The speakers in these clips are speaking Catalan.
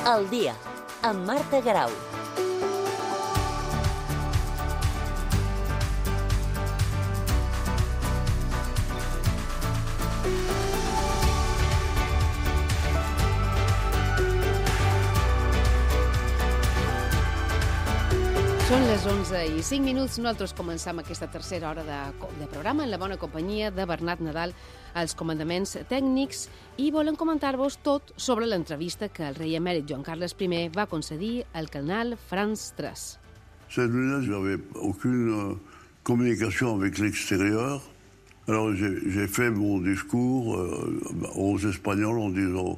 Al dia, amb Marta Garau. Són les 11:05. Nosaltres començam aquesta tercera hora de programa en la bona companyia de Bernat Nadal als comandaments tècnics i volem comentar-vos tot sobre l'entrevista que el rei emèrit Joan Carles I va concedir al canal France 3. Cette nuit-là, je n'avais aucune communication avec l'extérieur. Alors j'ai fait mon discours aux Espagnols en disant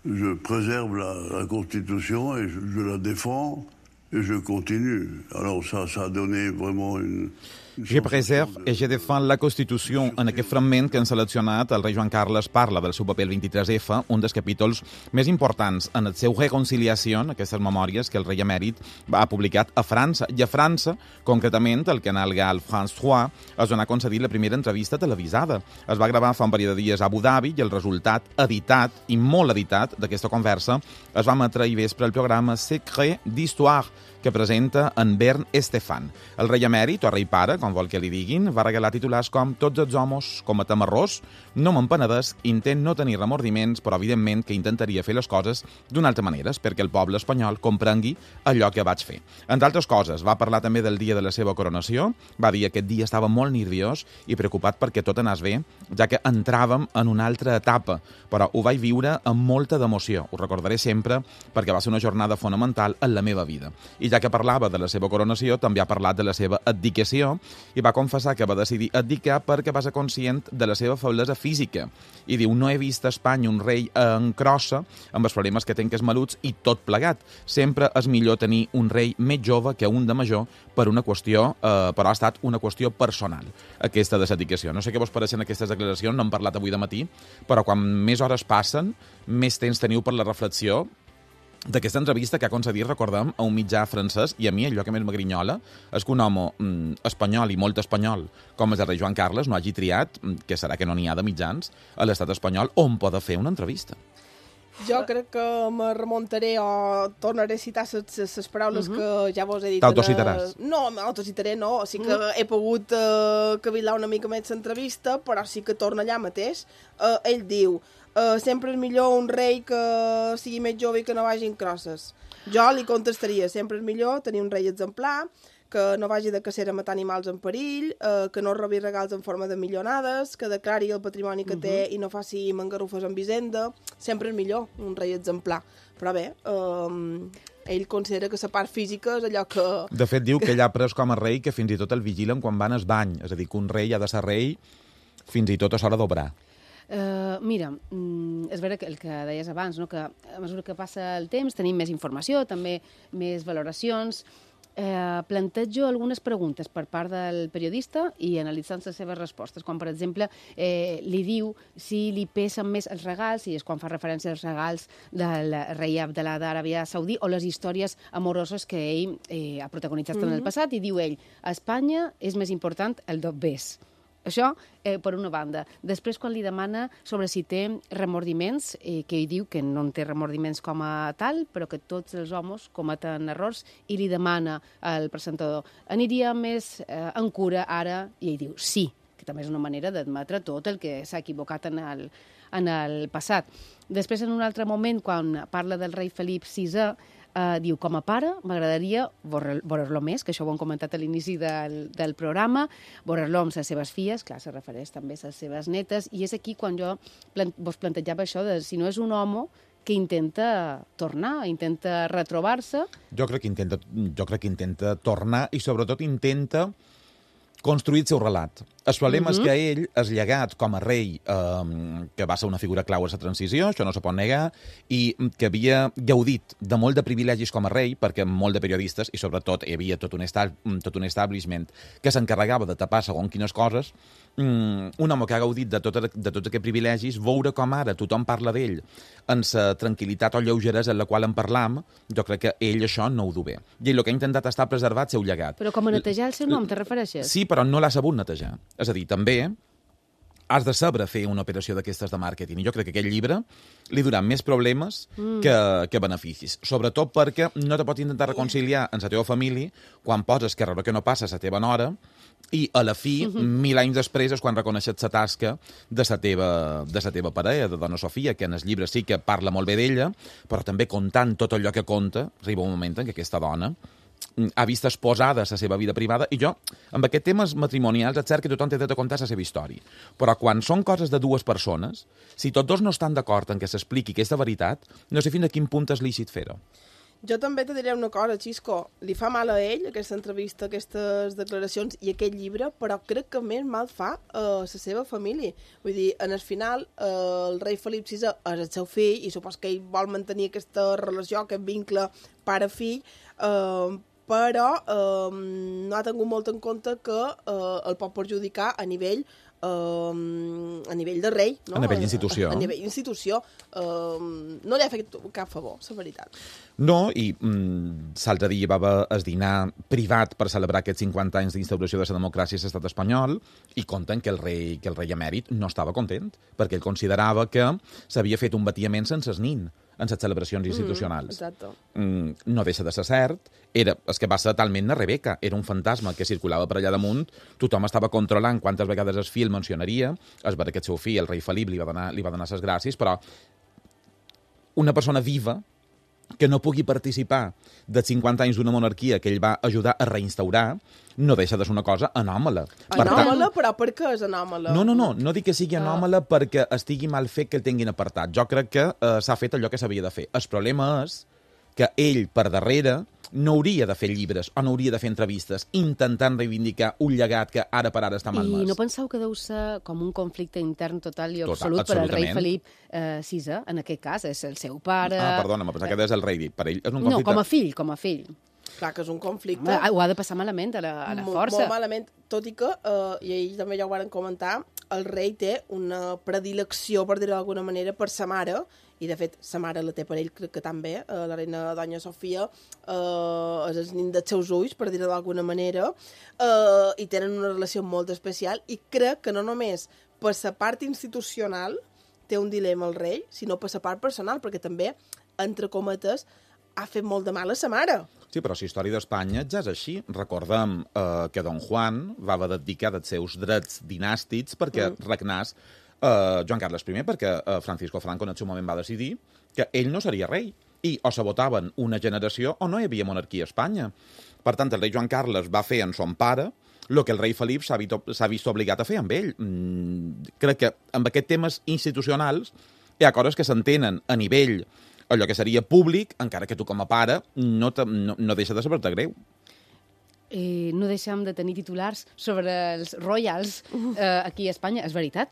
je préserve la Constitution et je la défends. Et je continue. Alors ça a donné vraiment une... Je preserve i je défends la Constitució. En aquest fragment que han seleccionat, el rei Joan Carles parla del seu paper el 23F, un dels capítols més importants en el seu reconciliació, aquestes memòries que el rei emèrit ha publicat a França. I a França, concretament, el canal gal France 3 es donà concedir la primera entrevista televisada. Es va gravar fa un parell de dies a Abu Dhabi i el resultat editat, i molt editat, d'aquesta conversa es va emetre ahir vespre el programa Secret d'Histoire, que presenta en Bern Estefan. El rei emèrit, o rei pare, com vol que li diguin, va regalar titulars com «Tots els homes cometem errors, no m'empenedesc, intent no tenir remordiments, però evidentment que intentaria fer les coses d'una altra manera, perquè el poble espanyol comprengui allò que vaig fer». Entre altres coses, va parlar també del dia de la seva coronació, va dir que aquest dia estava molt nerviós i preocupat perquè tot anés bé, ja que entràvem en una altra etapa, però ho vaig viure amb molta d'emoció. Ho recordaré sempre perquè va ser una jornada fonamental en la meva vida. I ja que parlava de la seva coronació, també ha parlat de la seva abdicació i va confessar que va decidir abdicar perquè va ser conscient de la seva feblesa física. I diu, no he vist a Espanya un rei en crossa, amb els problemes que té que és maluts i tot plegat. Sempre és millor tenir un rei més jove que un de major per una qüestió, però ha estat una qüestió personal, aquesta de l'abdicació. No sé què vos pareixen aquestes declaracions, no hem parlat avui de matí, però quan més hores passen, més temps teniu per la reflexió d'aquesta entrevista que ha concedit, recordem, a un mitjà francès, i a mi allò que més m'agrinyola és que un home espanyol i molt espanyol, com és el rei Joan Carles, no hagi triat, que serà que no n'hi ha de mitjans, a l'estat espanyol on poder fer una entrevista. Jo crec que me remuntaré o tornaré a citar les paraules que ja vos he dit. T'autocitaràs? No, m'autocitaré no. Sí que he pogut cavilar una mica més l'entrevista, però sí que torna allà mateix. Ell diu, sempre és millor un rei que sigui més jove i que no vagi en crosses. Jo li contestaria, sempre és millor tenir un rei exemplar, que no vagi de cacera a matar animals en perill, que no robi regals en forma de milionades, que declari el patrimoni que té i no faci mangarrufes amb hisenda. Sempre és millor un rei exemplar. Però bé, ell considera que la part física és allò que... De fet, diu que ell ha pres com a rei que fins i tot el vigilen quan van al bany. És a dir, que un rei ha de ser rei fins i tot a l'hora d'obrar. Mira, és vera que el que deies abans, no? Que a mesura que passa el temps tenim més informació, també més valoracions. Plantejo algunes preguntes per part del periodista i analitzant les seves respostes, com per exemple li diu si li pesen més els regals, i és quan fa referència als regals del rei Abdalà d'Aràbia Saudí o les històries amoroses que ell ha protagonitzat en el passat, i diu ell, a Espanya és més important el dobbers. Això, per una banda. Després, quan li demana sobre si té remordiments, que ell diu que no en té remordiments com a tal, però que tots els homes cometen errors, i li demana al presentador, aniria més en cura ara? I ell diu, sí, que també és una manera d'admetre tot el que s'ha equivocat en el passat. Després, en un altre moment, quan parla del rei Felip VI, diu, com a pare, m'agradaria veure-lo més, que això ho hem comentat a l'inici del programa, veure-lo amb les seves filles, clar, se refereix també a les seves netes, i és aquí quan jo vos plantejava això de si no és un home que intenta tornar, intenta retrobar-se. Jo crec que intenta tornar i sobretot intenta construir el seu relat. El problema és que ell és llegat com a rei, que va ser una figura clau a la transició, això no se pot negar, i que havia gaudit de molt de privilegis com a rei, perquè molt de periodistes, i sobretot hi havia tot un establishment que s'encarregava de tapar segons quines coses, un home que ha gaudit de tots aquests privilegis, veure com ara tothom parla d'ell en la tranquil·litat o lleugeresa en la qual en parlam, jo crec que ell això no ho du bé. I ell el que ha intentat estar preservat seu llegat. Però com a netejar el seu nom, te refereixes? Sí, però no l'ha sabut netejar. És a dir, també has de saber fer una operació d'aquestes de màrqueting. I jo crec que aquest llibre li durà més problemes que beneficis. Sobretot perquè no te pots intentar reconciliar amb la teva família quan poses que res que no passa a la teva nora i a la fi, 1000 anys després, és quan reconeixes la tasca de la teva parella, de dona Sofia, que en el llibre sí que parla molt bé d'ella, però també contant tot allò que conta, arriba un moment en què aquesta dona ha vist exposada la seva vida privada, i jo, amb aquests temes matrimonials, és cert que tothom té dret a contar la seva història. Però quan són coses de dues persones, si tots dos no estan d'acord en que s'expliqui aquesta veritat, no sé fins a quin punt és lícit fer-ho. Jo també te diré una cosa, Xisco. Li fa mal a ell, aquesta entrevista, aquestes declaracions i aquest llibre, però crec que més mal fa a la seva família. Vull dir, en el final, el rei Felip VI és el seu fill i supos que ell vol mantenir aquesta relació, aquest vincle pare-fill, però no ha tingut molt en compte que el pot perjudicar a nivell de rei, no? A nivell d'institució. A nivell d'institució. No li ha fet cap favor, la veritat. No, i l'altre dia va haver el dinar privat per celebrar aquests 50 anys d'instauració de la democràcia a l'estat espanyol i conten que el rei emèrit no estava content, perquè ell considerava que s'havia fet un batiament sense el nin en les celebracions institucionals. Exacte. No deixa de ser cert. És que va ser talment una Rebeca. Era un fantasma que circulava per allà damunt. Tothom estava controlant quantes vegades el fill mencionaria. Es va que el seu fill, el rei Felip, li va donar les gràcies, però una persona viva que no pugui participar dels 50 anys d'una monarquia que ell va ajudar a reinstaurar, no deixa de ser una cosa anòmala. Anòmala? Però per què és anòmala? No dic que sigui anòmala perquè estigui mal fet que el tinguin apartat. Jo crec que s'ha fet allò que s'havia de fer. El problema és que ell, per darrere, no hauria de fer llibres o no hauria de fer entrevistes intentant reivindicar un llegat que ara per ara està malmès. I no penseu que deu ser com un conflicte intern total i absolut per al rei Felip VI, en aquest cas, és el seu pare... Perdona, m'ha pensat que és el rei. Per ell és un conflicte... No, com a fill. Clar que és un conflicte. Ho ha de passar malament a la força. Molt malament, tot i que, i ells també ja ho van comentar, el rei té una predilecció, per dir-ho d'alguna manera, per sa mare, i de fet sa mare la té per ell, crec que també, la reina Doña Sofia, és el nin dels seus ulls, per dir-ho d'alguna manera, i tenen una relació molt especial, i crec que no només per sa part institucional té un dilema el rei, sinó per sa part personal, perquè també, entre cometes, ha fet molt de mal a sa mare. Sí, però la història d'Espanya ja és així. Recordem que Don Juan va haver d'abdicar dels seus drets dinàstics perquè regnàs Joan Carles I, perquè Francisco Franco en el seu moment va decidir que ell no seria rei. I o s'abotaven una generació o no hi havia monarquia a Espanya. Per tant, el rei Joan Carles va fer en son pare el que el rei Felip s'ha vist obligat a fer amb ell. Crec que amb aquests temes institucionals hi ha coses que s'entenen a nivell allò que seria públic, encara que tu com a pare no deixa de saber-te greu. No deixem de tenir titulars sobre els royals aquí a Espanya. És veritat,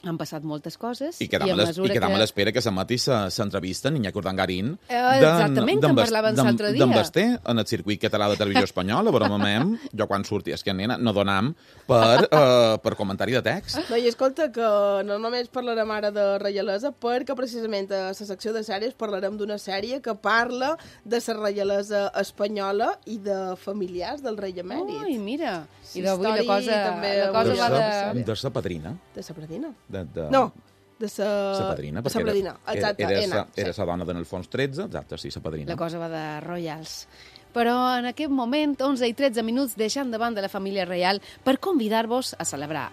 han passat moltes coses. I quedam a l'espera que s'emeti l'entrevista en Iñaki Urdangarín exactament, que en parlaven l'altre dia. D'en Basté, en el circuit català de televisió espanyola, veurem, jo quan surti, és que nena, no donam per comentari de text. No, i escolta, que no només parlarem ara de reialesa, perquè precisament a la secció de sèries parlarem d'una sèrie que parla de la reialesa espanyola i de familiars del rei emèrit. Ai, mira, i d'avui la cosa va de... De sa padrina. De sa padrina? No, de sa padrina, perquè exacte, era sa dona d'en Alfons XIII, exacte, sí, sa padrina. La cosa va de royals. Però en aquest moment, 11 i 13 minuts, deixant de banda la família reial per convidar-vos a celebrar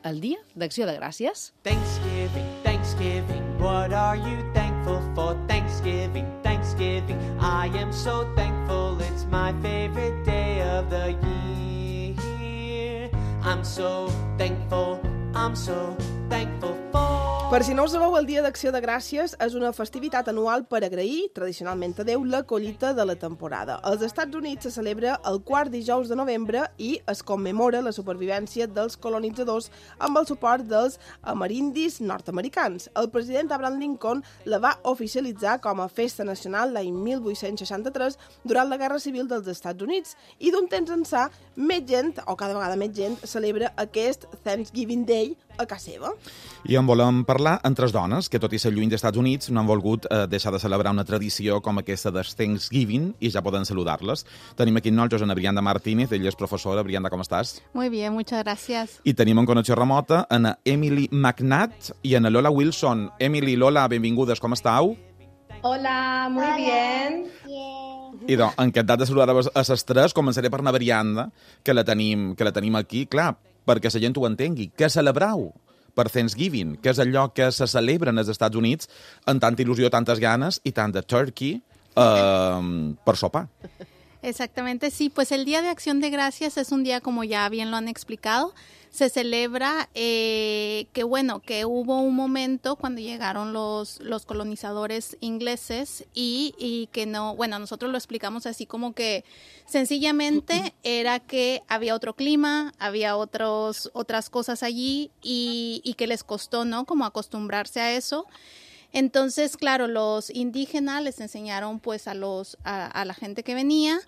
el Dia d'Acció de Gràcies. Thanksgiving, Thanksgiving, what are you thankful for? Thanksgiving, Thanksgiving, I am so thankful, it's my favorite day of the year. I'm so thankful, I'm so thankful for... Per si no ho sabeu, el Dia d'Acció de Gràcies és una festivitat anual per agrair, tradicionalment a Déu, la collita de la temporada. Als Estats Units se celebra el quart dijous de novembre i es commemora la supervivència dels colonitzadors amb el suport dels amerindis nord-americans. El president Abraham Lincoln la va oficialitzar com a festa nacional l'any 1863 durant la Guerra Civil dels Estats Units i d'un temps ençà, més gent, o cada vegada més gent, celebra aquest Thanksgiving Day a casa seva. I en volem parlar amb tres dones que, tot i ser lluny dels Estats Units, no han volgut deixar de celebrar una tradició com aquesta del Thanksgiving i ja poden saludar-les. Tenim aquí amb nosaltres a Brianda Martínez, ella és professora. Brianda, com estàs? Muy bien, muchas gracias. I tenim en connexió remota a Emily McNatt i a Lola Wilson. Emily, Lola, benvingudes, com estàu? Hola, muy bien. I doncs, encantat de saludar a les tres. Començaré per anar Brianda, que la tenim aquí. Clar, perquè la gent ho entengui. Què celebrau per Thanksgiving? Què és allò que se celebra als Estats Units amb tanta il·lusió, tantes ganes i tant de turkey per sopar? Exactamente, sí. Pues el Día de Acción de Gracias es un día, como ya bien lo han explicado, se celebra que hubo un momento cuando llegaron los colonizadores ingleses y que no, bueno, nosotros lo explicamos así como que sencillamente era que había otro clima, había otras cosas allí y que les costó, ¿no? Como acostumbrarse a eso. Entonces, claro, los indígenas les enseñaron pues a la gente que venía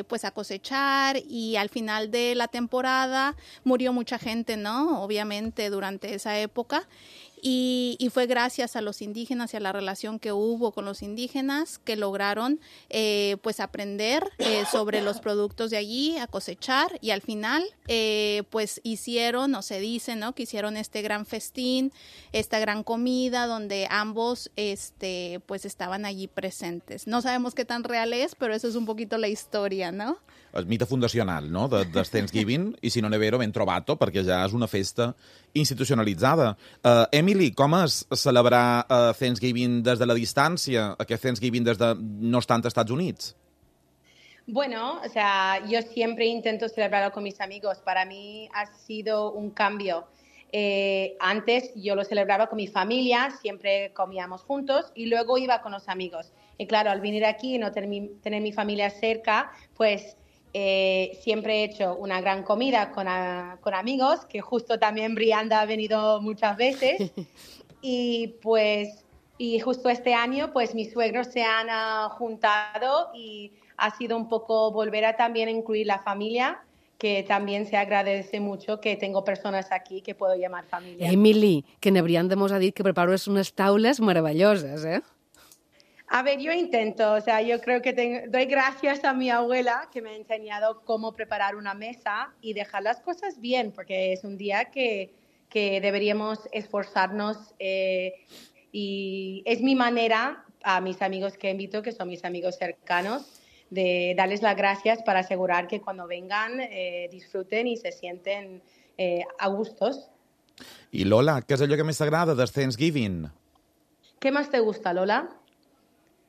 pues a cosechar, y al final de la temporada murió mucha gente, ¿no? Obviamente durante esa época. Y fue gracias a los indígenas y a la relación que hubo con los indígenas que lograron pues aprender sobre los productos de allí, a cosechar, y al final pues hicieron, o se dice, ¿no? Que hicieron este gran festín, esta gran comida donde ambos pues estaban allí presentes. No sabemos qué tan real es, pero eso es un poquito la historia, ¿no? El mite fundacional, no?, de Thanksgiving, i si no n'he vero, ben trobat-ho, perquè ja és una festa institucionalitzada. Emily, com és celebrar Thanksgiving des de la distància, aquest Thanksgiving des de no estant als Estats Units? Bueno, o sea, yo siempre intento celebrarlo con mis amigos. Para mí ha sido un cambio. Antes yo lo celebraba con mi familia, siempre comíamos juntos y luego iba con los amigos. Y claro, al venir aquí y no tener mi familia cerca, pues siempre he hecho una gran comida con amigos, que justo también Brianda ha venido muchas veces. Y justo este año, pues mis suegros se han juntado y ha sido un poco volver a también incluir la familia, que también se agradece mucho que tengo personas aquí que puedo llamar familia. Emily, que na Brianda mos ha dit que prepares unes taules meravelloses, eh? A ver, yo intento, o sea, yo creo que doy gracias a mi abuela que me ha enseñado cómo preparar una mesa y dejar las cosas bien, porque es un día que deberíamos esforzarnos y es mi manera a mis amigos que invito, que son mis amigos cercanos, de darles las gracias para asegurar que cuando vengan disfruten y se sienten a gustos. I Lola, què és allò que més t'agrada del Thanksgiving? ¿Qué más te gusta, Lola?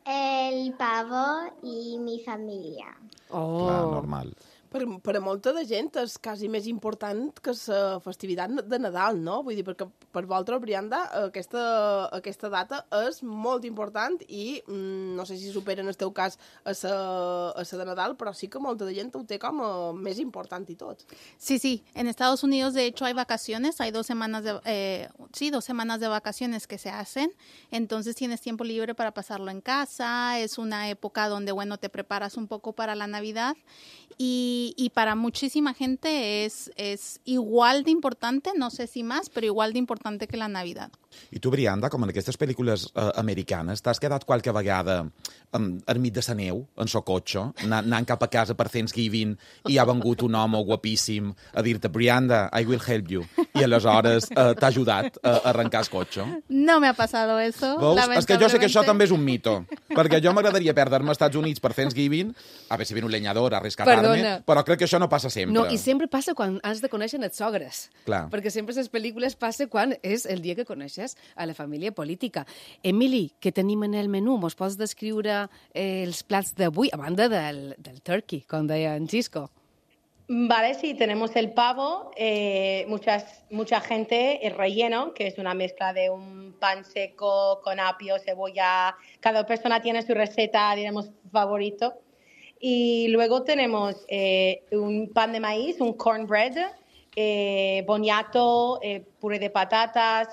El pavo i mi família. Oh. Clar, normal. Per a molta de gent és quasi més important que la festivitat de Nadal, no? Vull dir, perquè per vosaltres, Brianda, aquesta data és molt important i no sé si supera en el teu cas a la de Nadal, però sí que molta de gent ho té com a més important i tot. Sí. En Estados Unidos, de hecho, hay vacaciones. Hay 2 semanas de vacaciones que se hacen. Entonces tienes tiempo libre para pasarlo en casa. Es una época donde, bueno, te preparas un poco para la Navidad. Y para muchísima gente es igual de importante, no sé si más, però igual d'importante que la Navidad. I tu, Brianda, com en aquestes pel·lícules americanes, t'has quedat qualque vegada enmig de la neu, en so cotxe, anant cap a casa per Thanksgiving, i ha vengut un home guapíssim a dir-te, Brianda, I will help you, i aleshores t'ha ajudat a arrencar el cotxe? No me ha pasado eso. Veus? És que jo sé que això també és un mito, perquè jo m'agradaria perdre-me als Estats Units per Thanksgiving, a ver si viene un leñador a rescatar-me, però crec que això no passa sempre. No, i sempre passa quan has de conèixer els sogres. Clar. Perquè sempre les pel·lícules passa quan és el dia que coneixes a la família política. Emily, què tenim en el menú? Mos pots descriure els plats d'avui, a banda del turkey, com deia en Xisco? Vale, sí, tenemos el pavo, mucha gente, el relleno, que es una mezcla de un pan seco con apio, cebolla. Cada persona tiene su receta, digamos, favorito. Y luego tenemos un pan de maíz, un cornbread, boniato, puré de patatas,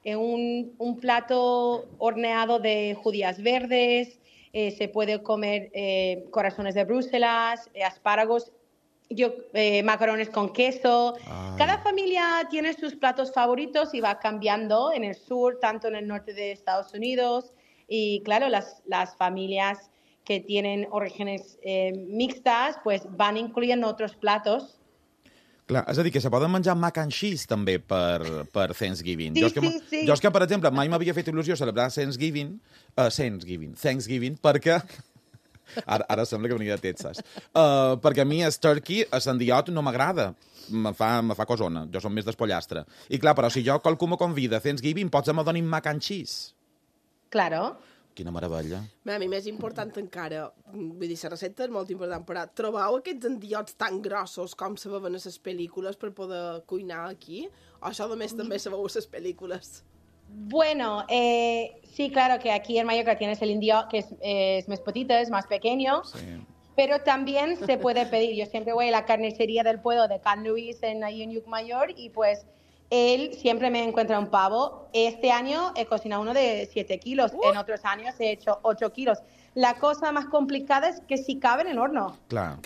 un plato horneado de judías verdes, se puede comer corazones de Bruselas, espárragos. macarrones con queso. Ay. Cada familia tiene sus platos favoritos y va cambiando en el sur, tanto en el norte de Estados Unidos. Y claro, las familias que tienen orígenes mixtas pues van incluyendo otros platos. Clar, és a dir, que se poden menjar mac and cheese també per Thanksgiving. Sí, sí. Jo és que, per exemple, mai m'havia fet il·lusió celebrar Thanksgiving, perquè... Ara sembla que venia de Texas. Perquè a mi el turkey, el sandiot, no m'agrada. Me fa cosona. Jo som més d'espollastre. I clar, però si jo qualcú me convida a Thanksgiving, potser me donin mac and cheese. Claro. Quina meravella. A mi més important encara, vull dir, la recepta és molt important, però trobeu aquests endiots tan grossos com se veuen a les pel·lícules per poder cuinar aquí? O això només també se veu a les pel·lícules? Bueno, sí, claro que aquí en Mallorca tienes el indio que es más petito, es más pequeño, sí. Pero también se puede pedir. Yo siempre voy a la carnicería del pueblo de Can Luis ahí en Llucmajor y pues él siempre me encuentra un pavo. Este año he cocinado uno de 7 kilos, en otros años he hecho 8 kilos. La cosa más complicada és que si cabe en el horno. Clar,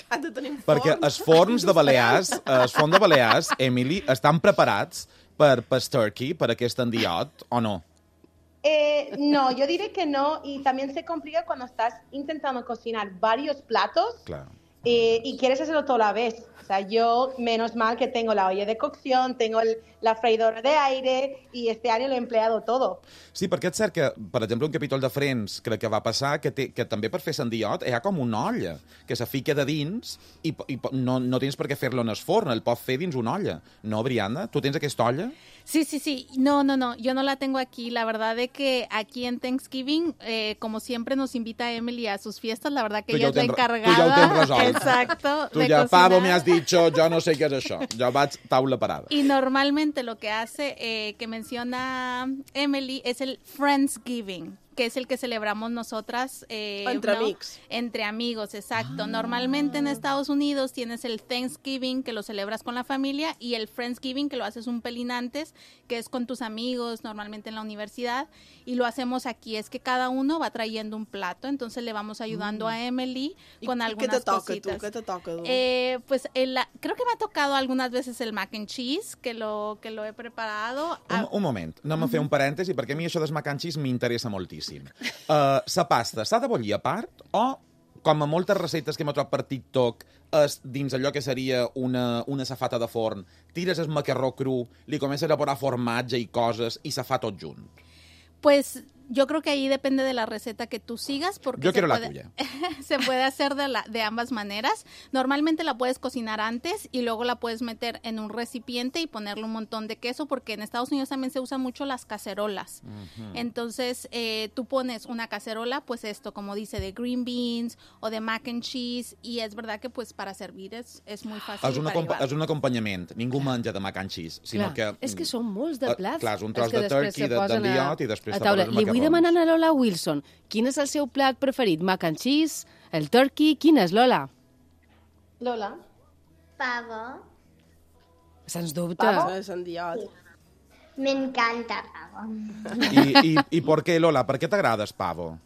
perquè els forns de Balears, Emily, estan preparats per turkey, per aquest endiot, o no? No, yo diré que no, y también se complica cuando estás intentando cocinar varios platos. Claro. Y quieres hacerlo toda la vez. O sea, yo, menos mal que tengo la olla de cocción, tengo la freidora de aire, y este año lo he empleado todo. Sí, perquè és cert que, per exemple, un capítol de Friends crec que va passar que també per fer sandiot hi ha com una olla que se fica de dins i no tens per què fer-lo en el forn, el pots fer dins una olla. No, Brianda? Tu tens aquesta olla? Sí. No, yo no la tengo aquí. La verdad de que aquí en Thanksgiving, como siempre nos invita Emily a sus fiestas, la verdad que ella es la encargada. Tu ja ho tens resolt. Exacto. Tu ja, pavo, me has dicho, yo no sé qué es això. Jo vaig taula parada. Y normalmente lo que hace, que menciona Emily, es el Friendsgiving, que es el que celebramos nosotras. Entre amigos. Entre amigos, exacto. Normalmente en Estados Unidos tienes el Thanksgiving, que lo celebras con la familia, y el Friendsgiving, que lo haces un pelín antes, que es con tus amigos, normalmente en la universidad, y lo hacemos aquí. Es que cada uno va trayendo un plato, entonces le vamos ayudando a Emily con algunas cositas. ¿Qué te toca tú? Pues creo que me ha tocado algunas veces el mac and cheese, que lo he preparado. Un moment, anem a fer un parèntesi, perquè a mi això del mac and cheese m'interessa moltíssim. La pasta s'ha de bullir a part o, com a moltes receptes que hem trobat per TikTok, és dins allò que seria una safata de forn, tires el macarró cru, li comences a posar formatge i coses i se fa tot junt? Pues yo creo que ahí depende de la receta que tú sigas, porque yo quiero la tuya. Se puede hacer de ambas maneras. Normalmente la puedes cocinar antes y luego la puedes meter en un recipiente y ponerle un montón de queso, porque en Estados Unidos también se usan mucho las cacerolas. Entonces, tú pones una cacerola, pues esto, como dice, de green beans o de mac and cheese, y es verdad que pues para servir es muy fàcil. És un acompanyament. Ningú menja de mac and cheese, sinó que... És que són molts de plats. Clar, és un tros de turkey, d'endiot, i després te poses macarrons. Li vull demanar a Lola Wilson, quin és el seu plat preferit? Mac and cheese, el turkey, quin és, Lola? Lola? Pavo. Sens dubte. Pavo és endiot. Me encanta pavo. ¿Y por qué, Lola? ¿Por qué te agrada el pavo?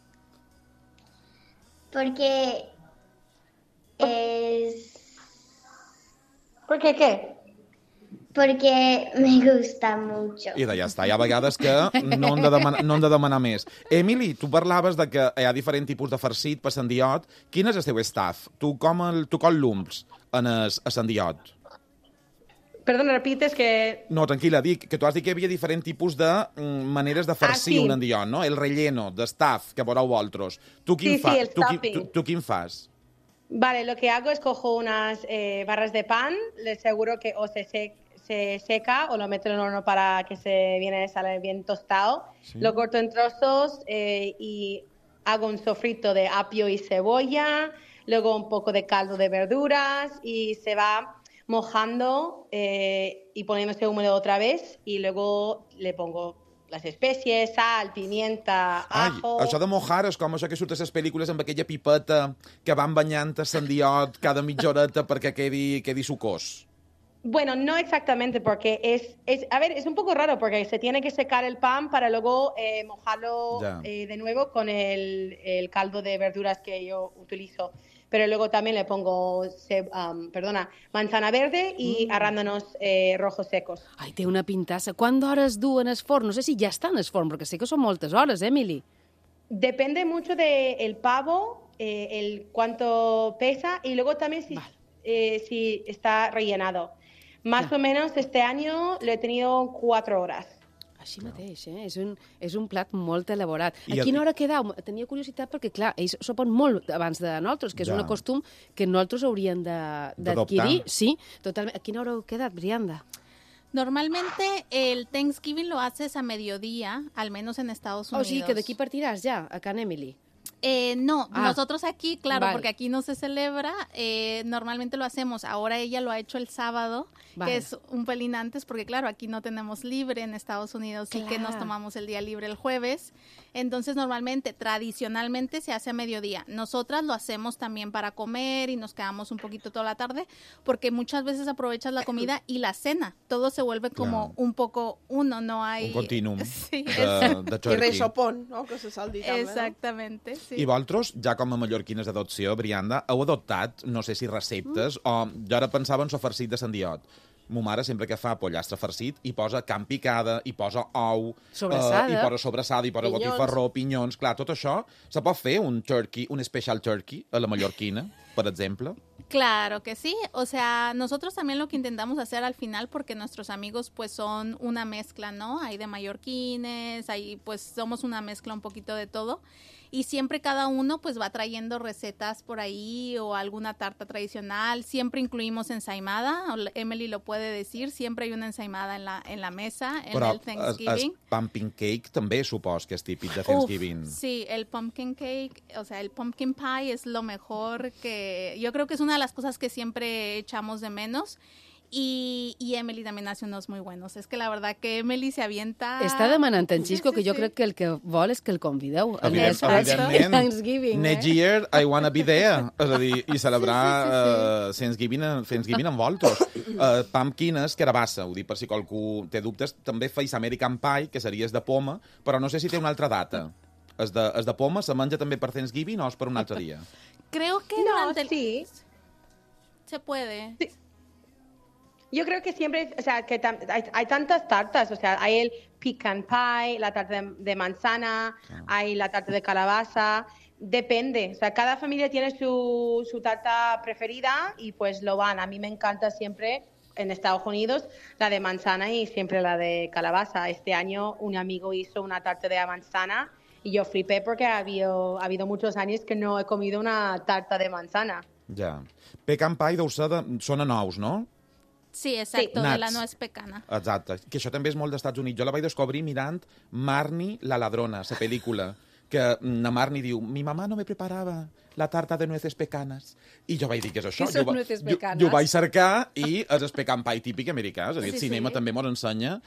Porque es... ¿Por qué qué? Porque me gusta mucho. I ja està. Hi ha vegades que no hem de demanar més. Emily, tu parlaves de que hi ha diferents tipus de farcit per sandiot. Quin és el teu staff? Tu com l'umpls en el sandiot? Perdona, repites que... No, tranquil·la, dic que tu has dit que hi havia diferents tipus de maneres de farcir un endiot, no? El relleno, de staff, que veureu vosaltres. Tu quin fas? Tu quin fas? Vale, lo que hago es cojo unas barras de pan, les aseguro que o se seca o lo meto en el horno para que sale bien tostado. Sí. Lo corto en trozos y hago un sofrito de apio y cebolla, luego un poco de caldo de verduras y se va mojando y poniéndose húmedo otra vez, y luego le pongo les espècies, sal, pimienta, ajo... Això de mojar és com això que surt a les pel·lícules amb aquella pipeta que van banyant el sandiot cada mitja horeta perquè quedi sucós. Bueno, no exactamente, porque es un poco raro, porque se tiene que secar el pan para luego mojarlo de nuevo con el caldo de verduras que yo utilizo. pero luego también le pongo manzana verde y arándanos rojos secos. Ai, té una pintassa. Quant d'hores duen el forn? No sé si ja està en el forn, perquè sé que són moltes hores, Emily. Depende mucho del pavo, el cuánto pesa y luego también si está rellenado. Más o menos este año lo he tenido 4 horas. Així mateix, És un plat molt elaborat. I A quina hora quedau? Tenia curiositat perquè, clar, ells sopen molt abans de nosaltres, que és un costum que nosaltres hauríem d'adquirir. Sí, totalment. A quina hora heu quedat, Brianda? Normalmente el Thanksgiving lo haces a mediodía, al menos en Estados Unidos. O sigui que d'aquí partiràs ja, a Can Emily. No, nosotros aquí, claro, Vale. porque aquí no se celebra, normalmente lo hacemos. Ahora ella lo ha hecho el sábado, Vale. que es un pelín antes, porque claro, aquí no tenemos libre en Estados Unidos, sí que nos Claro. tomamos el día libre el jueves. Entonces, normalmente, tradicionalmente se hace a mediodía. Nosotras lo hacemos también para comer y nos quedamos un poquito toda la tarde, porque muchas veces aprovechas la comida y la cena. Todo se vuelve como un poco uno, no hay... Un continuum Sí, de I turkey. resopon, no?, que se sol dir també, exactamente, sí. I vosaltres, ja com a mallorquines d'adopció, Brianda, heu adoptat, no sé si receptes, o jo ara pensava en so farcit de sandiot. Mo mare sempre que fa pollastre farcit hi posa carn picada, hi posa ou, Sobrassada. hi posa sobrassada, hi posa Pinyons. botifarró, pinyons... Clar, tot això, se pot fer un turkey, un special turkey a la mallorquina, per exemple? Claro que sí, o sea, nosotros también lo que intentamos hacer al final, porque nuestros amigos pues son una mezcla, ¿no? Hay de mallorquines, hay pues somos una mezcla un poquito de todo y siempre cada uno pues va trayendo recetas por ahí o alguna tarta tradicional, siempre incluimos ensaimada, Emily lo puede decir, siempre hay una ensaimada en la mesa en Però el Thanksgiving. el pumpkin cake també supos que és típic de Thanksgiving. Uf, sí, el pumpkin cake, o sea, el pumpkin pie es lo mejor que... Yo creo que es una de las cosas que siempre echamos de menos. Y Emily también hace unos muy buenos. Es que la verdad que Emily se avienta... Està demanant en Xisco Sí, que sí, jo sí. crec que el que vol és que el convideu. Evidentment. Thanksgiving, Next year I wanna be there. És a dir, i celebrar Thanksgiving amb vosaltres. Pumpkin és carabassa, ho dic per si qualcú té dubtes. També feis American Pie, que seria de poma, però no sé si té una altra data. És de poma, se menja també per Thanksgiving o és per un altre dia? Creo que No, durante el... sí. Se puede. Sí. Yo creo que siempre, o sea, que hay tantas tartas, o sea, hay el pecan pie, la tarta de manzana, hay la tarta de calabaza, depende, o sea, cada familia tiene su tarta preferida y pues lo van. A mí me encanta siempre en Estados Unidos la de manzana y siempre la de calabaza. Este año un amigo hizo una tarta de manzana y yo flipé porque ha habido muchos años que no he comido una tarta de manzana. Ja. Pecan pie deu ser són a nous, no? Sí, exacto, de la Nuts. nuez pecana. Exacte. Que això també és molt d'Estats Units. Jo la vaig descobrir mirant Marnie la ladrona, la pel·lícula, que na Marnie diu, mi mamá no me preparava la tarta de nueces pecanas. I jo vaig dir, què és això? Què són nueces pecanas? Jo vaig cercar i és el pecan pie típic americà. És a dir, el Sí, cinema sí. també mos ensenya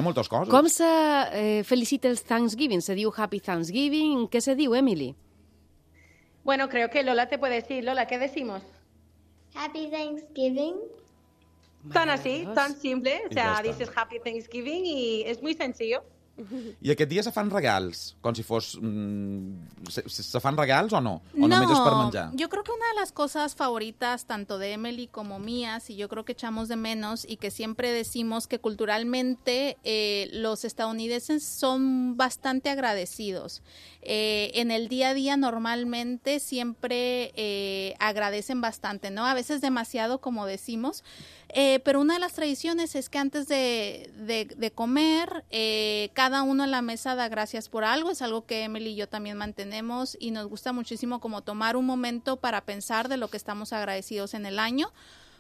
moltes coses. Com se felicita el Thanksgiving? Se diu Happy Thanksgiving? Què se diu, Emily? Bueno, creo que Lola te puede decir. Lola, ¿qué decimos? Happy Thanksgiving. Tan así, tan simple. O Y ya sea, está. dices Happy Thanksgiving y es muy sencillo. I aquest dia se fan regals, com si fos... se fan regals o no? O només és per menjar? Yo creo que una de las cosas favoritas tanto de Emily como mías, y yo creo que echamos de menos y que siempre decimos que culturalmente los estadounidenses son bastante agradecidos. En el día a día normalmente siempre agradecen bastante, ¿no? A veces demasiado, como decimos. Pero una de las tradiciones es que antes de comer, cada uno en la mesa da gracias por algo. Es algo que Emily y yo también mantenemos y nos gusta muchísimo como tomar un momento para pensar de lo que estamos agradecidos en el año,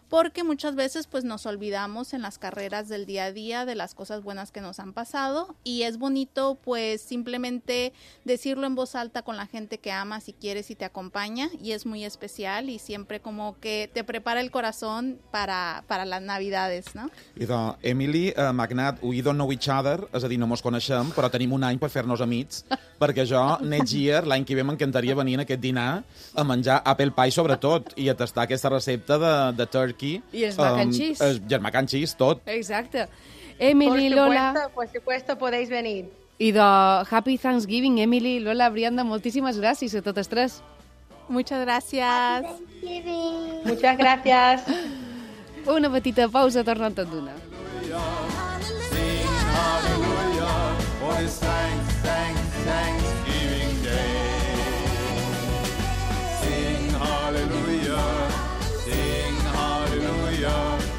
porque muchas veces pues nos olvidamos en las carreras del día a día de las cosas buenas que nos han pasado, y es bonito pues simplemente decirlo en voz alta con la gente que amas y quieres y te acompaña, y es muy especial y siempre como que te prepara el corazón para las navidades, ¿no? Idò, Emily, Magnat, we don't know each other, és a dir, no mos coneixem, però tenim un any per fer-nos amics, perquè jo, next year, l'any que ve m'encantaria venir en aquest dinar a menjar apple pie sobretot, i a tastar aquesta recepta de turkey. I els mac and cheese. I el mac and cheese, tot. Exacte. Emily, Lola... Por supuesto, podéis venir. I de Happy Thanksgiving, Emily, Lola, Brianda, moltíssimes gràcies a totes tres. Muchas gracias. Thanksgiving. Muchas gracias. Una petita pausa, tornant tot d'una. Hallelujah, for this Thanksgiving Day. Sing hallelujah,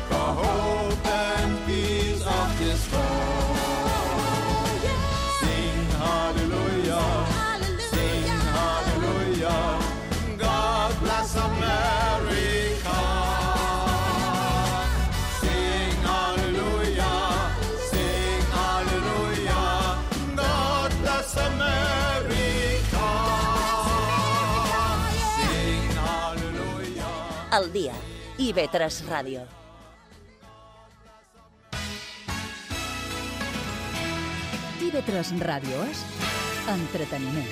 the hope and peace of this world. Sing hallelujah, God bless America. Sing hallelujah, God bless America. Sing hallelujah. El dia. IB3 Ràdio. IB3 Ràdio és entreteniment.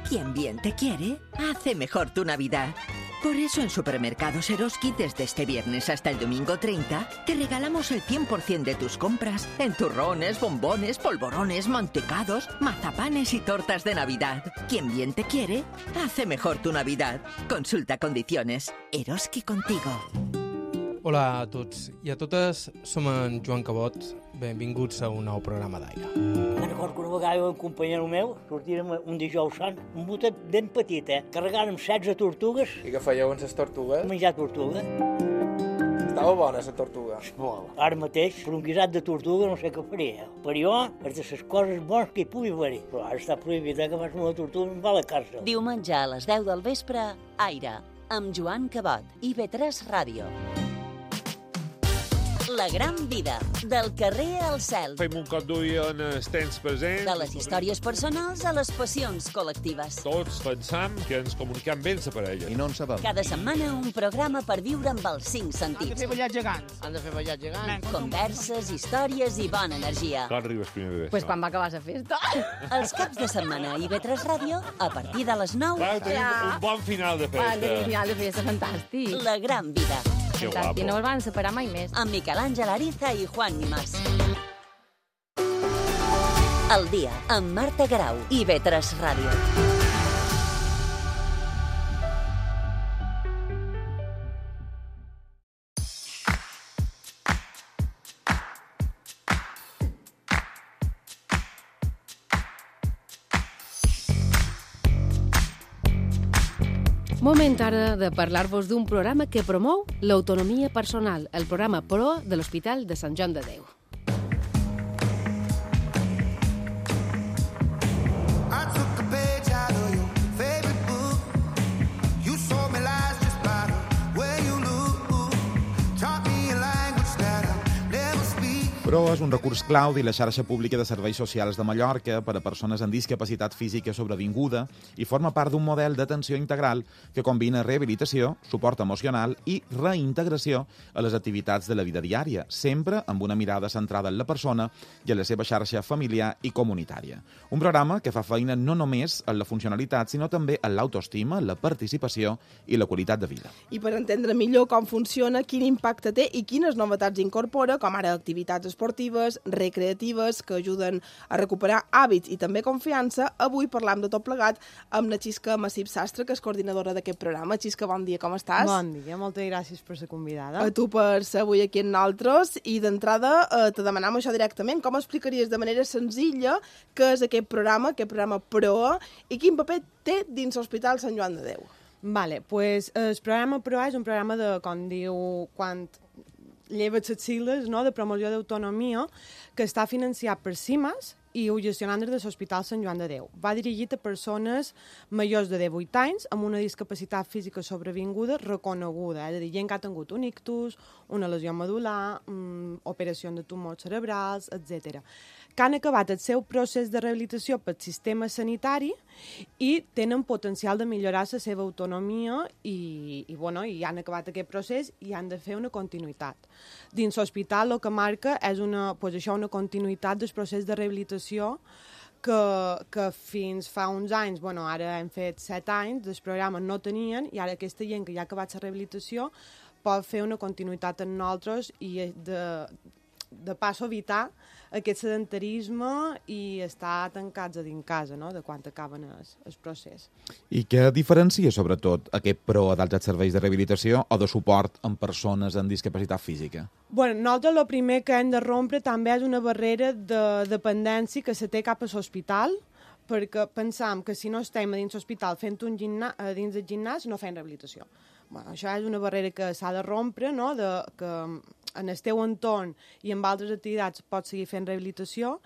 Quien bien te quiere, hace mejor tu Navidad. Por eso en Supermercados Eroski, desde este viernes hasta el domingo 30, te regalamos el 100% de tus compras en turrones, bombones, polvorones, mantecados, mazapanes y tortas de Navidad. Quien bien te quiere, hace mejor tu Navidad. Consulta condiciones. Eroski contigo. Hola a tots i a totes, som en Joan Cabot. Benvinguts a un nou programa d'aire. Me'n recordo que una vegada un companyero meu sortirem un dijous sant, un botet ben petit, carregant amb 16 tortugues. I què fèieu amb les tortugues? Menjar tortuga. Estava bona, la tortuga? Molt. Ara mateix, per un guisat de tortuga no sé què faria. Per jo, és de les coses bones que hi pugui haver. Però ara està prohibit que fas una tortuga i em va a la càrcel. Diumenge a les 10 del vespre, Aire, amb Joan Cabot, IB3 Ràdio. La gran vida, del carrer al cel. Fem un cop d'ull en els temps presents. De les històries personals a les passions col·lectives. Tots pensam que ens comuniquem bé amb la parella. I no en sabem. Cada setmana un programa per viure amb els 5 sentits. Han de fer ballar gegants. Han de fer ballar gegants. Converses, històries i bona energia. Quan arribes primer de Pues quan va acabar la festa. Els caps de setmana a IB3 Ràdio, a partir de les 9. Clar, tenim un bon final de festa. Un final de festa fantàstic. La gran vida. Que guapo. I no els van separar mai més. Amb Miquel Àngel Ariza i Juan Nimás. El dia, amb Marta Garau, IB3 Ràdio. Moment ara de parlar-vos d'un programa que promou l'autonomia personal, el programa PRO de l'Hospital de Sant Joan de Déu. PRO és un recurs clau de la xarxa pública de serveis socials de Mallorca per a persones amb discapacitat física sobrevinguda i forma part d'un model d'atenció integral que combina rehabilitació, suport emocional i reintegració a les activitats de la vida diària, sempre amb una mirada centrada en la persona i en la seva xarxa familiar i comunitària. Un programa que fa feina no només en la funcionalitat, sinó també en l'autoestima, la participació i la qualitat de vida. I per entendre millor com funciona, quin impacte té i quines novetats incorpora, com ara activitats esportives, recreatives, que ajuden a recuperar hàbits i també confiança, avui parlam de tot plegat amb la Xisca Massip Sastre, que és coordinadora d'aquest programa. Xisca, bon dia, com estàs? Bon dia, moltes gràcies per ser convidada. A tu per ser avui aquí amb nosaltres, i d'entrada te demanam això directament. Com explicaries de manera senzilla què és aquest programa PRO, i quin paper té dins l'Hospital Sant Joan de Déu? Vale, pues el programa PRO és un programa de, com diu, quan lleves les sigles, no?, de promoció d'autonomia, que està financiat per CIMAS i ho gestionant des de l'Hospital Sant Joan de Déu. Va dirigit a persones majors de 18 anys amb una discapacitat física sobrevinguda reconeguda, és a dir, gent que ha tingut un ictus, una lesió medular, operació de tumors cerebrals, etc., que han acabat el seu procés de rehabilitació pel sistema sanitari i tenen potencial de millorar la seva autonomia i han acabat aquest procés i han de fer una continuïtat. Dins l'hospital el que marca és una continuïtat del procés de rehabilitació que fins fa uns anys, ara hem fet 7 anys, del programa no tenien, i ara aquesta gent que ja ha acabat la rehabilitació pot fer una continuïtat amb nosaltres i de pas evitar aquest sedentarisme i estar tancats a dins casa, no?, de quan acaben el procés. I què diferencia, sobretot, aquest PROA dels serveis de rehabilitació o de suport en persones amb discapacitat física? Bueno, nosaltres el primer que hem de rompre també és una barrera de dependència que se té cap a l'hospital, perquè pensam que si no estem a dins l'hospital fent a dins del gimnàs no fem rehabilitació. Bueno, això és una barrera que s'ha de rompre, no?, que en el teu entorn i amb altres activitats pots seguir fent rehabilitació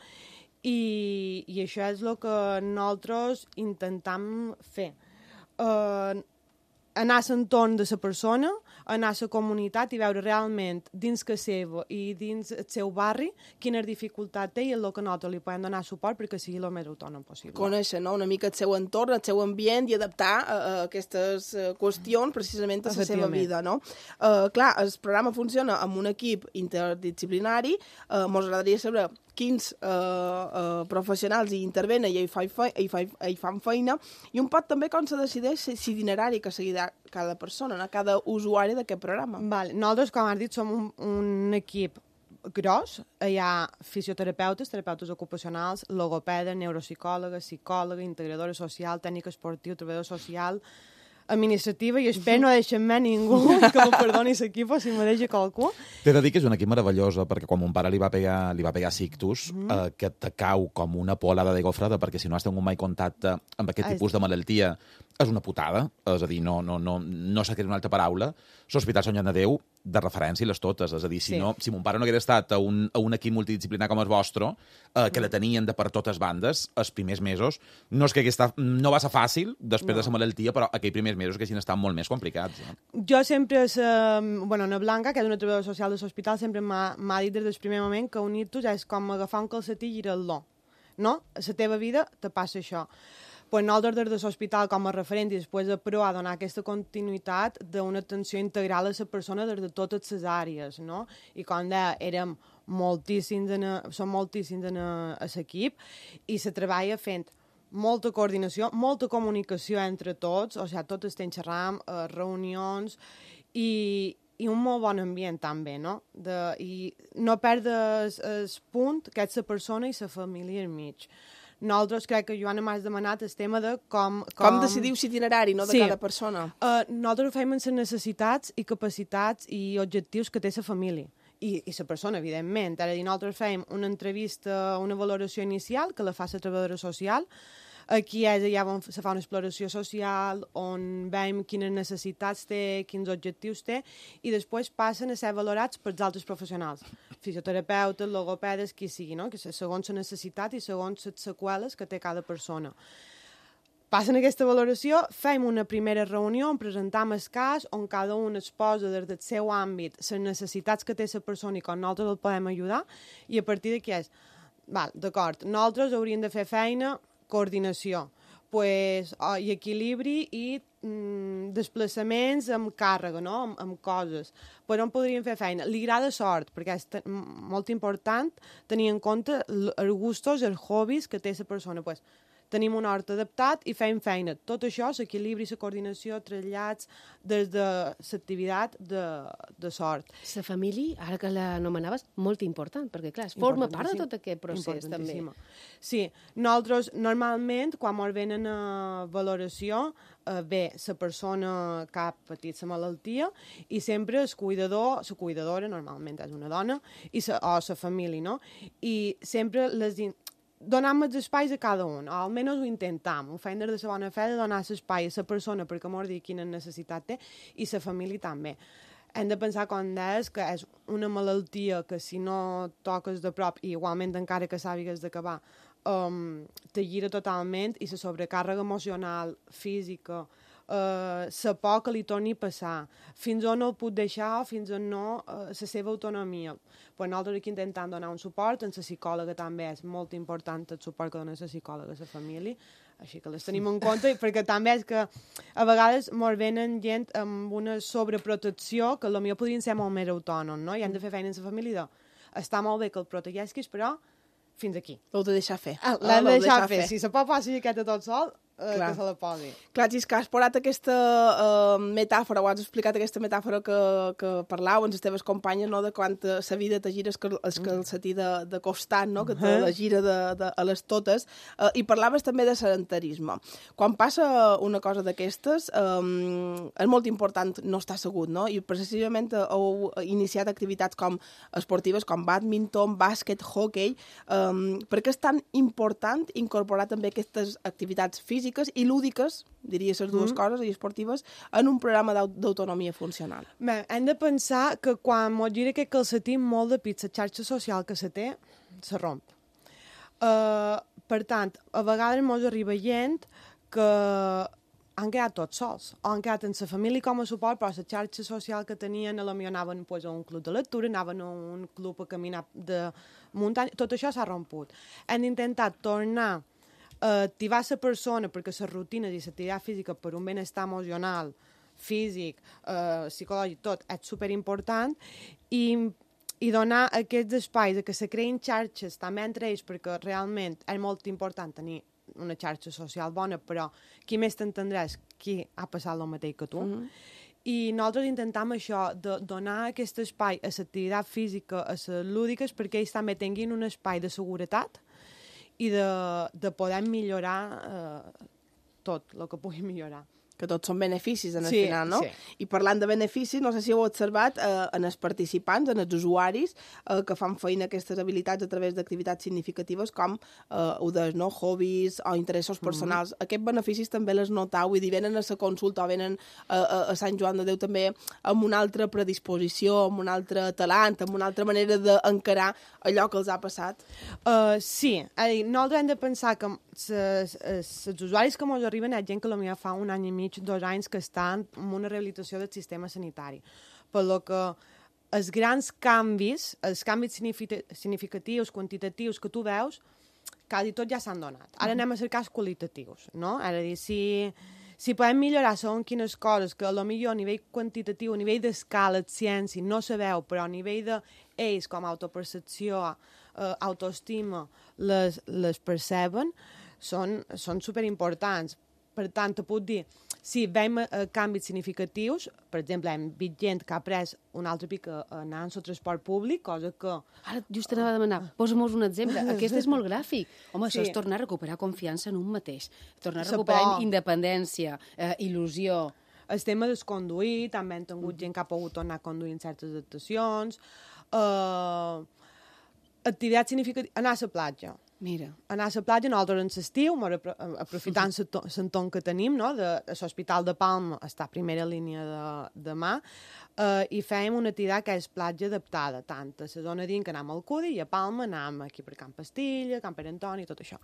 i això és el que nosaltres intentam fer. Anar a l'entorn de la persona, anar a la comunitat i veure realment dins que seva i dins el seu barri quina dificultat té i el que nosaltres li podem donar suport perquè sigui el més autònom possible. Conèixer, no?, una mica el seu entorn, el seu ambient i adaptar aquestes qüestions precisament a la seva vida, no? Clar, el programa funciona amb un equip interdisciplinari. Ens agradaria saber quins professionals hi intervenen i hi fan feina, i un poc també com se decideix l'itinerari que seguirà cada persona, cada usuari d'aquest programa. Nosaltres, com has dit, som un equip gros. Hi ha fisioterapeutes, terapeutes ocupacionals, logopedes, neuropsicòlogues, psicòloga, integradora social, tècnica esportiva, treballador social, administrativa, i espero no deixar-me ningú que me perdoni l'equip si me deixa qualcú. T'he de dir que és un equip meravellosa, perquè quan mon pare li va pegar sictus, que te cau com una polada de gofrada, perquè si no has tingut mai contacte amb aquest tipus de malaltia, és una putada, és a dir, no s'ha creat una altra paraula. L'Hospital Sant Joan de Déu, de referència, les totes. És a dir, si mon pare no hagués estat a un equip multidisciplinar com el vostre, que la tenien de per totes bandes, els primers mesos, no va ser fàcil després de la malaltia, però aquells primers mesos que hagin estat molt més complicats. Jo sempre, Ana Blanca, que és una treballadora social de l'hospital, sempre m'ha dit des del primer moment que unir-tos és com agafar un calcetí i girar-lo. No? A la teva vida te passa això. Pues nosaltres des de l'hospital com a referent i després de PROA donar aquesta continuïtat d'una atenció integral a la persona des de totes les àrees, no? I com deia, som moltíssims en l'equip i se treballa fent molta coordinació, molta comunicació entre tots, o sigui, tots estem xerrant, reunions i un molt bon ambient també, no? I no perdre el punt que és la persona i la família al mig. Nosaltres crec que Joana m'has demanat el tema de com decidiu l'itinerari, no?, de cada persona. Nosaltres ho fem amb les necessitats i capacitats i objectius que té la família. I la persona, evidentment. Ara, nosaltres fem una entrevista, una valoració inicial, que la fa la treballadora social. Aquí és allà on se fa una exploració social, on veiem quines necessitats té, quins objectius té, i després passen a ser valorats pels altres professionals, fisioterapeutes, logopedes, qui sigui, no?, que segons la necessitat i segons les seqüeles que té cada persona. Passen aquesta valoració, fem una primera reunió on presentam el cas, on cada un exposa des del seu àmbit les necessitats que té la persona i com nosaltres el podem ajudar, i a partir d'aquí és, d'acord, nosaltres hauríem de fer feina, coordinació, i equilibri i desplaçaments amb càrrega, no?, amb coses. Per on podríem fer feina? Li agrada sort, perquè és molt important tenir en compte els gustos, els hobbies que té la persona. Tenim un hort adaptat i fem feina. Tot això, l'equilibri, la coordinació, trasllats, des de l'activitat de sort. La família, ara que l'anomenaves, molt important, perquè, clar, forma part de tot aquest procés, també. Sí, nosaltres, normalment, quan ens venen a valoració, ve la persona que ha patit la malaltia i sempre el cuidador, la cuidadora, normalment és una dona, o la família, no? I sempre donem els espais a cada un, o almenys ho intentem, ho fem des de la bona fe de donar l'espai a la persona perquè m'ho digui quina necessitat té i la família també. Hem de pensar, com deies, que és una malaltia que si no toques de prop, i igualment encara que sàpigues d'acabar, te gira totalment i la sobrecàrrega emocional, física, la por que li torni a passar, fins on el puc deixar, fins on no, la seva autonomia. Nosaltres aquí intentem donar un suport, en la psicòloga també és molt important el suport que dona la psicòloga a la família, així que les tenim en compte, perquè també és que a vegades ens venen gent amb una sobreprotecció que potser podrien ser molt més autònoms, no? I hem de fer feina en la família està molt bé que el protegeixis, però fins aquí. L'heu de deixar fer. L'hem de deixar fer. Si se pot fer aquesta tot sol, que se la posi. Clar, si és que has posat aquesta metàfora, o has explicat aquesta metàfora que parlau amb les teves companyes, no?, de quan la vida te gira el calcetí de costat, no?, que te la gira a les totes, i parlaves també de sedentarisme. Quan passa una cosa d'aquestes, és molt important no estar assegut, no?, i precisament heu iniciat activitats com esportives, com bàdminton, bàsquet, hoquei. Per què és tan important incorporar també aquestes activitats físiques i lúdiques, diria les dues coses, i esportives, en un programa d'autonomia funcional? Bé, hem de pensar que quan mos gira aquest calcetí, molt de pit, la xarxa social que se té, se romp. Per tant, a vegades mos arriba gent que han quedat tots sols, o han quedat en la família com a suport, però la xarxa social que tenien, potser anaven a un club de lectura, anaven a un club a caminar de muntanya, tot això s'ha romput. Hem d'intentar tornar a activar la persona perquè les rutines i l'activitat física per un benestar emocional, físic, psicològic, tot, és superimportant, i donar aquests espais que se creïn xarxes també entre ells, perquè realment és molt important tenir una xarxa social bona, però qui més t'entendrà és qui ha passat el mateix que tu. I nosaltres intentem això, de donar aquest espai a l'activitat física, a les lúdiques, perquè ells també tinguin un espai de seguretat i de poder millorar tot el que pugui millorar. Que tots són beneficis en el final, no? Sí. I parlant de beneficis, no sé si heu observat en els participants, en els usuaris que fan feina aquestes habilitats a través d'activitats significatives com ho deies, no? Hobbies o interessos personals. Aquests beneficis també les notau, vull dir, venen a la consulta o venen a Sant Joan de Déu també amb una altra predisposició, amb un altre talant, amb una altra manera d'encarar allò que els ha passat? Sí, nosaltres hem de pensar que els usuaris que ens arriben és gent que potser fa un any i mig, 2 anys que estan en una rehabilitació del sistema sanitari. Per lo que els grans canvis, els canvis significatius, quantitatius que tu veus, quasi tots ja s'han donat. Ara anem a cercar els qualitatius, no? És a dir, si podem millorar segons quines coses, que potser a nivell quantitatiu, a nivell d'escala, de ciència, no se veu, però a nivell d'ells, com a autopercepció, autoestima, les perceben, són superimportants. Per tant, te puc dir, si veiem canvis significatius, per exemple, hem vist gent que ha pres un altre pic anant al transport públic, cosa que... Ara, just anava a demanar, posa'm un exemple. Aquest és molt gràfic. Home, això és tornar a recuperar confiança en un mateix. Tornar a recuperar independència, il·lusió. El tema del conduir, també hem tingut gent que ha pogut tornar a conduir en certes adaptacions. Activitat significativa, anar a la platja. Mira. Anar a la platja, nosaltres en l'estiu, aprofitant l'entorn que tenim, no? L'Hospital de Palma està a primera línia de mà, i fèiem una activitat que és platja adaptada, tant a la zona dins que anem al Cudi, i a Palma anem aquí per Camp Pastilla, Camp Pere Antoni, tot això.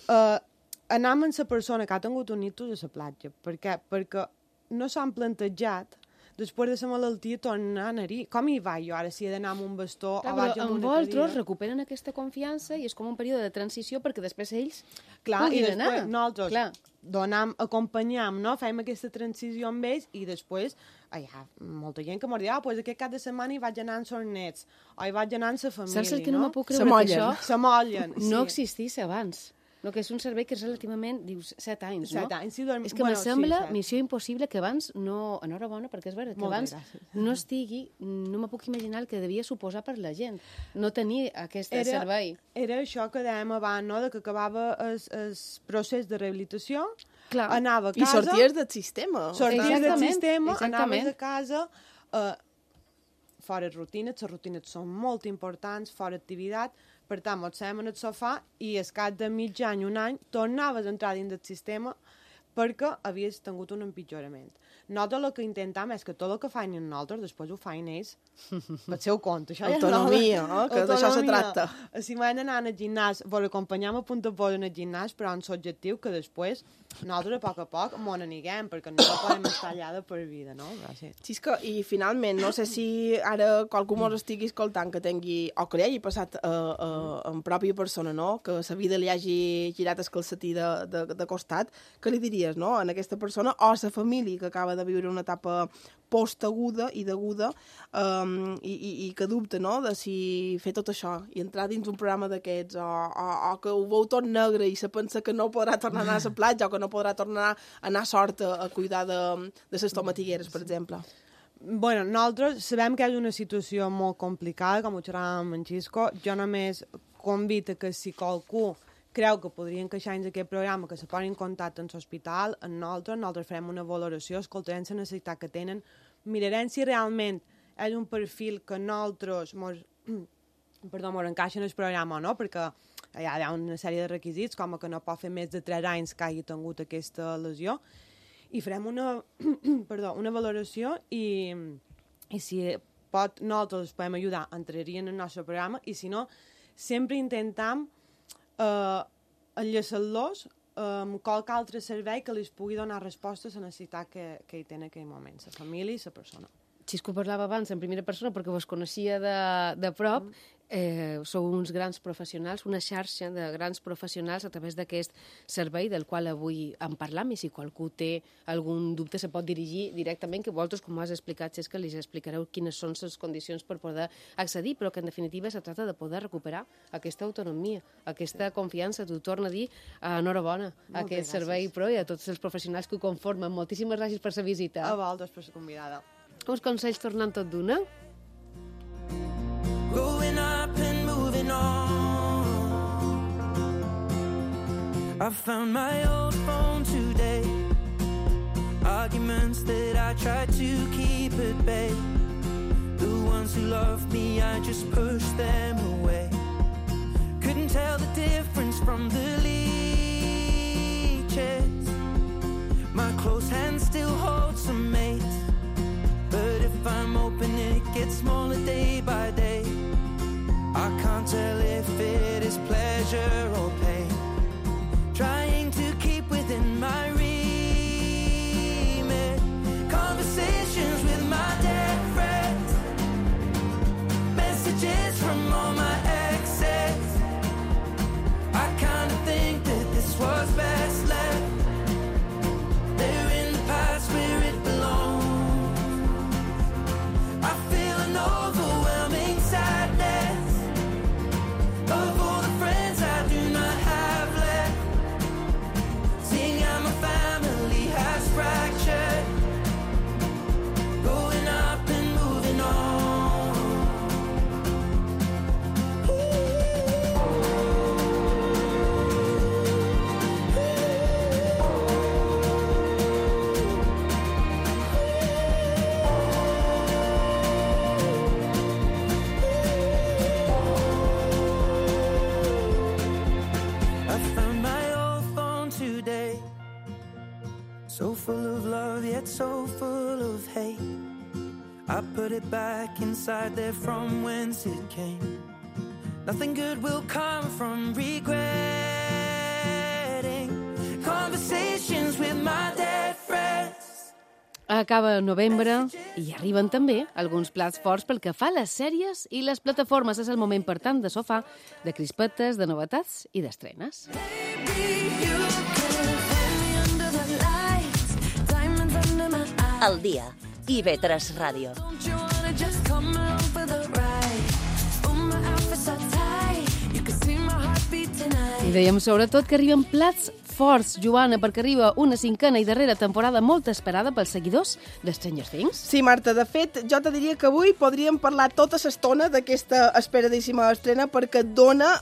Anem amb la persona que ha tingut un ictus a la platja. Per què? Perquè no s'han plantejat després de la malaltia tornar a anar-hi. Com hi va jo ara, si he d'anar amb un bastó o vaig amb una cadira? Vosaltres recuperen aquesta confiança i és com un període de transició perquè després ells puguin anar. Nosaltres acompanyam, no? Fem aquesta transició amb ells i després hi ha molta gent que m'ho diu, pues aquest cap de setmana hi vaig anar amb els nets o hi vaig anar amb la família. Saps el que no me puc creure que això s'amollen. No existís abans? No, que és un servei que és relativament, dius, 7 anys, no? 7 anys, sí. És que me sembla missió impossible que abans no... Enhorabona, perquè és veritat que abans no estigui... No me puc imaginar el que devia suposar per la gent no tenir aquest servei. Era això que dèiem abans, no?, de que acabava el procés de rehabilitació, clar, anava a casa... I sorties del sistema. Sorties del sistema, anaves a casa... fora rutines, les rutines són molt importants, fora activitat, per tant, ens seiem en el sofà i al cap de mig any, un any, tornaves a entrar dins del sistema perquè havies tingut un empitjorament. Nosaltres el que intentem és que tot el que feien nosaltres després ho feien ells pel seu compte. Autonomia, que d'això se tracta. Si van anar al gimnàs, vos acompanyem a punt a punt en el gimnàs, però amb l'objectiu que després nosaltres a poc m'ho n'aniguem, perquè no podem estar allà de per vida, no? Sí, és que, i finalment, no sé si ara qualcú mos estigui escoltant que tingui, o que li hagi passat en pròpia persona, no?, que la vida li hagi girat el calcetí de costat, què li diries, no?, en aquesta persona, o a la família que acaba de viure una etapa postaguda i deguda i que dubta, no?, de si fer tot això i entrar dins un programa d'aquests o que ho veu tot negre i se pensa que no podrà tornar a anar a la platja o que no podrà tornar a anar a sort a cuidar de les tomatigueres, per exemple. Bueno, nosaltres sabem que és una situació molt complicada, com ho xerràvem amb en Xisco. Jo només convido que si qualcú creu que podria encaixar en aquest programa, que se posi en contacte amb l'hospital, amb nosaltres farem una valoració, escoltarem la necessitat que tenen, mirarem si realment és un perfil que nosaltres mos encaixa en el programa o no, perquè hi ha una sèrie de requisits, com que no pot fer més de 3 anys que hagi tingut aquesta lesió, i farem una valoració i si nosaltres podem ajudar, entrarien en el nostre programa, i si no, sempre intentem enllaçar-los amb qualque altre servei que els pugui donar resposta a la necessitat que hi té en aquell moment, la família i la persona. Xisco parlava abans en primera persona perquè vos coneixia de prop. Sou uns grans professionals, una xarxa de grans professionals a través d'aquest servei del qual avui en parlam, i si qualcú té algun dubte se pot dirigir directament, que vosaltres, com has explicat, és que li explicareu quines són les condicions per poder accedir, però que en definitiva se tracta de poder recuperar aquesta autonomia, aquesta confiança. T'ho torno a dir, enhorabona a aquest servei pro i a tots els professionals que ho conformen. Moltíssimes gràcies per la visita. A vosaltres per la convidada. Uns consells tornant tot d'una. Growing up and moving on, I found my old phone today. Arguments that I tried to keep at bay. The ones who loved me, I just pushed them away. Couldn't tell the difference from the leeches. My close hand still holds some mates, but if I'm open it gets smaller day by day. I can't tell if it is pleasure or pain, trying to keep within my remit. Conversations with my dead friends, messages from all my exes. I kinda think that this was best left there in the past where it belongs. I feel an overwhelming sadness of all the friends I do not have left, seeing how my family has fractured, growing up and moving on. So full of love, yet so full of hate. I put it back inside there from whence it came. Nothing good will come from regretting conversations with my dead friends. Acaba novembre i arriben també alguns plats forts pel que fa a les sèries i les plataformes. És el moment, per tant, de sofà, de crispetes, de novetats i d'estrenes. Al dia, IB3 Ràdio. I dèiem sobretot que arriben plats forts, Joana, perquè arriba una 5a i darrera temporada molt esperada pels seguidors de Stranger Things. Sí, Marta, de fet, jo te diria que avui podríem parlar tota l'estona d'aquesta esperadíssima estrena perquè dona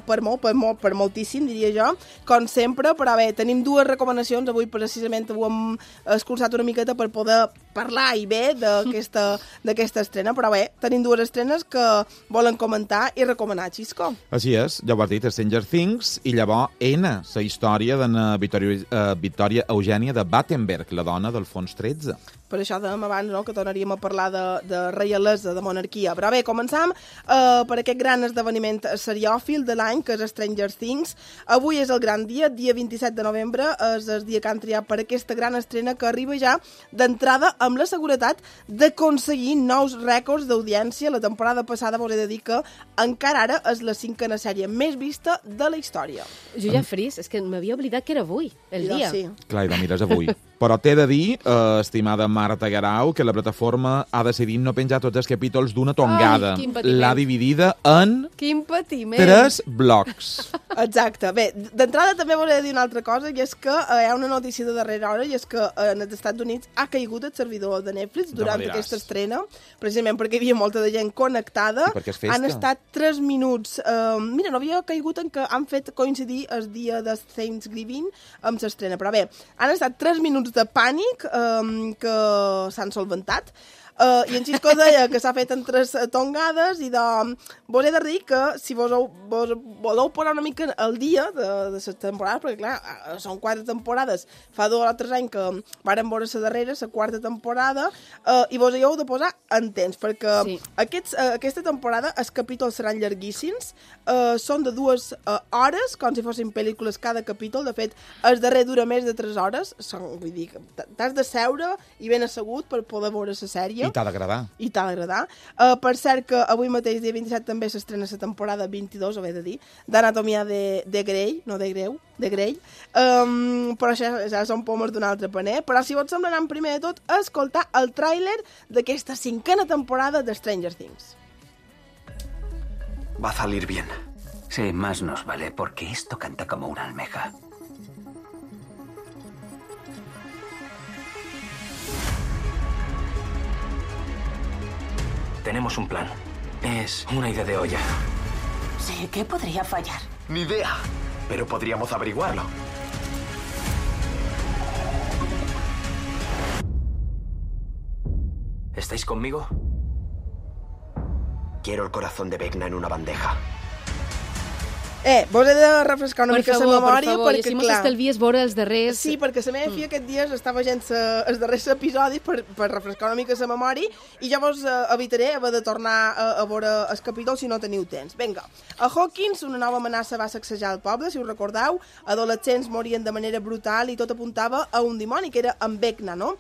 per moltíssim, diria jo, com sempre, però bé, tenim dues recomanacions, avui precisament ho hem escurçat una miqueta per poder parlar i bé d'aquesta estrena, però bé, tenim dues estrenes que volen comentar i recomanar, Xisco. Així és, ja ho has dit, Stranger Things, i llavors la història d'una Victòria Eugènia de Battenberg, la dona del fons 13. Per això dèiem abans, no?, que tornaríem a parlar de reialesa, de monarquia. Però bé, començam per aquest gran esdeveniment seriòfil de l'any, que és Stranger Things. Avui és el gran dia, dia 27 de novembre, és el dia que han triat per aquesta gran estrena que arriba ja d'entrada amb la seguretat d'aconseguir nous rècords d'audiència. La temporada passada vos he de dir que encara ara és la 5a sèrie més vista de la història. Jo ja fris, és que m'havia oblidat que era avui, el dia. Sí. Clar, i la mires avui. Però t'he de dir, estimada Marta Guerau, que la plataforma ha decidit no penjar tots els capítols d'una tongada. Ai, quin patiment. L'ha dividida en Quin patiment. 3 blocs. Exacte. Bé, d'entrada també volia dir una altra cosa, i és que hi ha una notícia de darrera hora, i és que en els Estats Units ha caigut el servidor de Netflix durant aquesta estrena, precisament perquè hi havia molta de gent connectada. I perquè és festa. Han estat 3 minuts... mira, no havia caigut en que han fet coincidir el dia de Thanksgiving amb l'estrena, però bé, han estat 3 minuts de pànic que s'han solventat. I en Xisco deia que s'ha fet en 3 tongades, i vos he de dir que si vos voleu posar una mica al dia de les temporades, perquè clar, són 4 temporades, fa 2 o 3 anys que varen veure la darrera, la 4ª temporada, i vos hi heu de posar en temps, perquè aquesta temporada els capítols seran llarguíssims, són de 2 hores, com si fossin pel·lícules cada capítol. De fet, el darrer dura més de 3 hores, vull dir, t'has de seure i ben assegut per poder veure la sèrie. I t'ha d'agradar. I t'ha d'agradar. Per cert que avui mateix, dia 27, també s'estrena la temporada 22, ho he de dir, d'Anatomia de Grey, no de Greu, de Grey. Però això ja són pomes d'un altre paner. Però si vos sembla, anem primer de tot a escoltar el tràiler d'aquesta 5ª temporada de Stranger Things. Va a salir bien. Sí, más nos vale, porque esto canta como una almeja. Tenemos un plan. Es una idea de olla. Sí, ¿qué podría fallar? Ni idea. Pero podríamos averiguarlo. ¿Estáis conmigo? Quiero el corazón de Vecna en una bandeja. Vos he de refrescar una mica la memòria, perquè, i així clar... m'estalvies veure els darrers... Sí, perquè la meva filla aquest dia estava veient els darrers episodis per refrescar una mica la memòria, i ja vos evitaré haver de tornar a veure el capítol si no teniu temps. Vinga, a Hawkins una nova amenaça va sacsejar el poble, si us recordeu, adolescents morien de manera brutal i tot apuntava a un dimoni, que era en Vecna, no?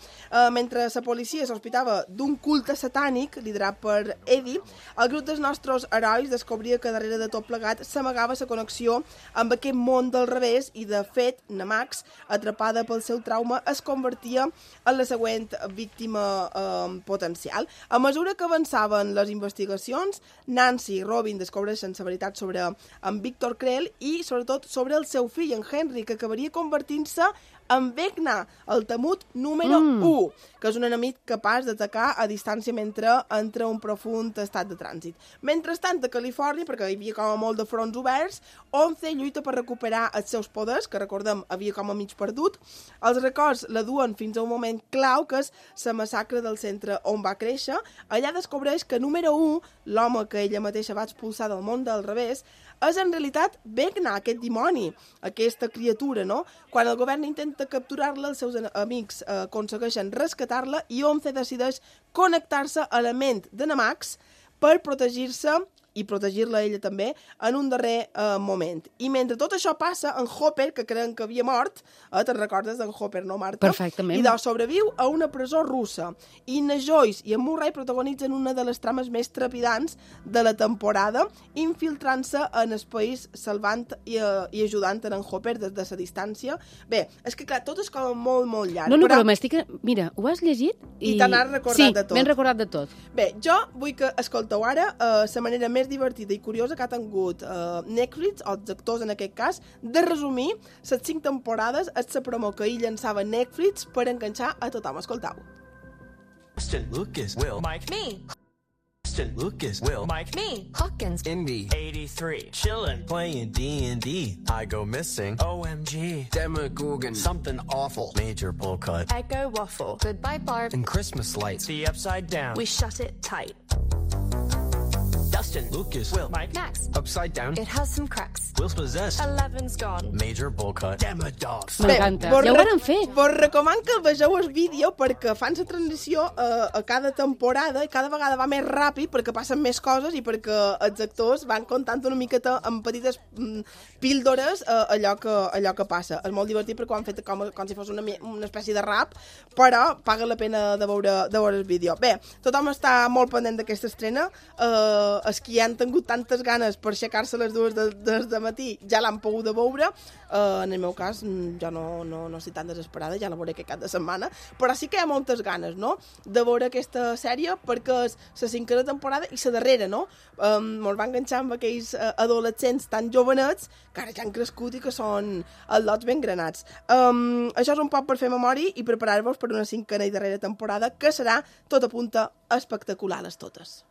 Mentre la policia sospitava d'un culte satànic liderat per Eddie, el grup dels nostres herois descobria que darrere de tot plegat s'amagava la connexió amb aquest món del revés, i de fet Namax, atrapada pel seu trauma, es convertia en la següent víctima potencial. A mesura que avançaven les investigacions, Nancy i Robin descobreixen la veritat sobre en Victor Creel i sobretot sobre el seu fill, en Henry, que acabaria convertint-se en Vecna, el temut número 1, que és un enemic capaç d'atacar a distància mentre entra un profund estat de trànsit. Mentrestant, a Califòrnia, perquè hi havia com a molt de fronts oberts, 11 lluita per recuperar els seus poders, que recordem havia com a mig perdut. Els records la duen fins a un moment clau, que és la massacre del centre on va créixer. Allà descobreix que número 1, l'home que ella mateixa va expulsar del món del revés, és en realitat Vecna, aquest dimoni, aquesta criatura, no? Quan el govern intenta capturar-la, els seus amics aconsegueixen rescatar-la i 11 decideix connectar-se a la ment de Namax per protegir-se i protegir-la ella també en un darrer moment. I mentre tot això passa, en Hopper, que creien que havia mort, te'n recordes d'en Hopper, no, Marta? Perfectament. I sobreviu a una presó russa. I na Joyce i en Murray protagonitzen una de les trames més trepidants de la temporada, infiltrant-se en el país, salvant i ajudant en Hopper des de la distància. Bé, és que clar, tot és com molt, molt llarg. No, però m'estic... Mira, ho has llegit? I te n'has recordat de tot. Sí, m'he recordat de tot. Bé, jo vull que escolteu ara la manera més divertida i curiosa que ha tingut Netflix, o els actors en aquest cas, de resumir les 5 temporades a la promo que ell llançava Netflix per enganxar a tothom. Escoltau. Austin Lucas, Will, Mike, me. Austin Lucas, Will, Mike, me. Hawkins, Indy, 83, chillin', playing D&D. I go missing, OMG. Demogorgon, something awful. Major bowl cut. Echo waffle. Goodbye Barb. And Christmas lights. The upside down. We shut it tight. Dustin, Lucas, Will, Mike, Max. Upside down. It has some cracks. Will's possessed. 11's gone. Major bowl cut. Demodogs. M'encanta. Ja ho varen fer. Vos recomano que vegeu el vídeo perquè fan la transició a cada temporada i cada vegada va més ràpid perquè passen més coses i perquè els actors van contant una miqueta amb petites píldores allò que passa. És molt divertit perquè ho han fet com si fos una espècie de rap, però paga la pena de veure el vídeo. Bé, tothom està molt pendent d'aquesta estrena. El els que ja han tingut tantes ganes per aixecar-se a les 2 de matí ja l'han pogut de veure. En el meu cas, jo no estic tan desesperada, ja la veuré aquest cap de setmana, però sí que hi ha moltes ganes, no?, de veure aquesta sèrie, perquè és la 5a temporada i la darrera, no? Ens va enganxar amb aquells adolescents tan jovenets que ara ja han crescut i que són al·lots ben granats. Això és un poc per fer memòria i preparar-vos per una 5a i darrera temporada que serà, tot apunta, espectacular les totes.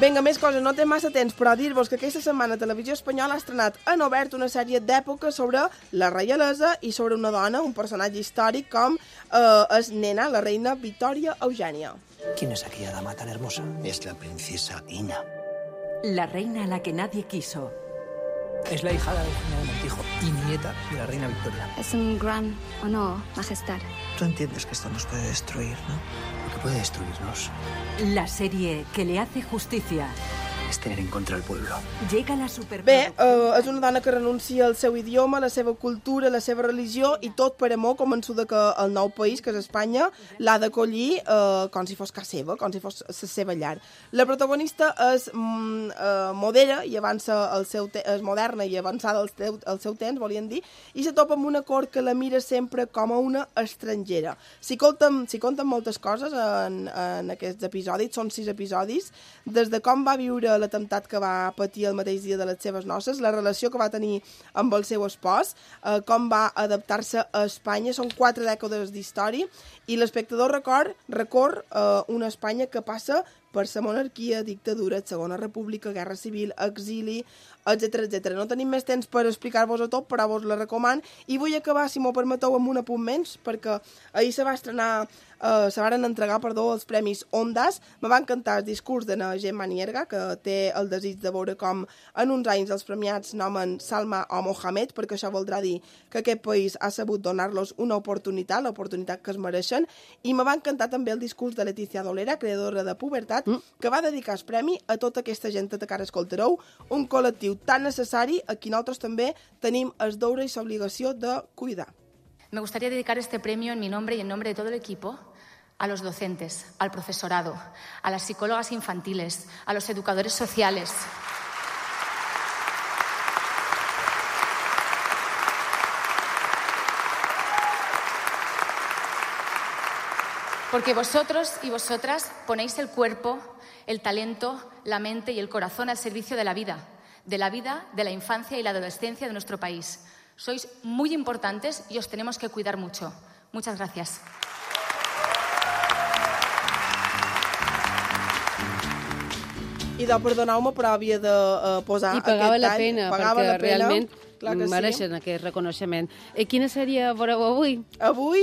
Vinga, més coses, no té massa temps, però dir-vos que aquesta setmana Televisió Espanyola ha estrenat en obert una sèrie d'època sobre la reialesa i sobre una dona, un personatge històric com és Nena, la reina Victòria Eugènia. ¿Quién es aquella dama tan hermosa? Es la princesa Ina. La reina a la que nadie quiso. Es la hija de Eugenia de Montijo y nieta de la reina Victoria. Es un gran honor, majestad. Tú entiendes que esto nos puede destruir, ¿no? Lo que puede destruirnos La serie que le hace justicia. es tener en contra el pueblo. Llega la Bé, superproducción. és una dona que renuncia al seu idioma, la seva cultura, la seva religió i tot per amor, convençuda que el nou país, que és Espanya, l'ha d'acollir com si fos casa seva, com si fos la seva llar. La protagonista és modera i avança és moderna i avançada al seu temps, volien dir, i se topa amb una cort que la mira sempre com a una estrangera. S'hi compten moltes coses en aquests episodis, són 6 episodis, des de com va viure l'atemptat que va patir el mateix dia de les seves noces, la relació que va tenir amb el seu espòs, com va adaptar-se a Espanya. Són 4 dècades d'història i l'espectador recorre una Espanya que passa per la monarquia, dictadura, Segona República, Guerra Civil, exili, etc. No tenim més temps per explicar-vos-ho tot, però vos la recomano. I vull acabar, si m'ho permeteu, amb un apunt menys, perquè ahir se varen entregar els Premis Ondas. Me va encantar el discurs de la Gemma Nierga, que té el desig de veure com en uns anys els premiats nomen Salma o Mohamed, perquè això voldrà dir que aquest país ha sabut donar-los una oportunitat, l'oportunitat que es mereixen. I me va encantar també el discurs de Letícia Dolera, creadora de Pubertat, que va dedicar el premi a tota aquesta gent que ara escoltareu, un col·lectiu tan necessari a qui nosaltres també tenim el deure i l'obligació de cuidar. Me gustaría dedicar este premio en mi nombre y en nombre de todo el equipo a los docentes, al profesorado, a las psicólogas infantiles, a los educadores sociales. Porque vosotros y vosotras ponéis el cuerpo, el talento, la mente y el corazón al servicio de la vida, de la infancia y la adolescencia de nuestro país. Sois muy importantes y os tenemos que cuidar mucho. Muchas gracias. I perdoneu-me, però havia de posar I pagava aquest la tall. pena, Pagava perquè la pena, realment clar que mereixen aquest reconeixement. Quina sèrie veureu avui? Avui,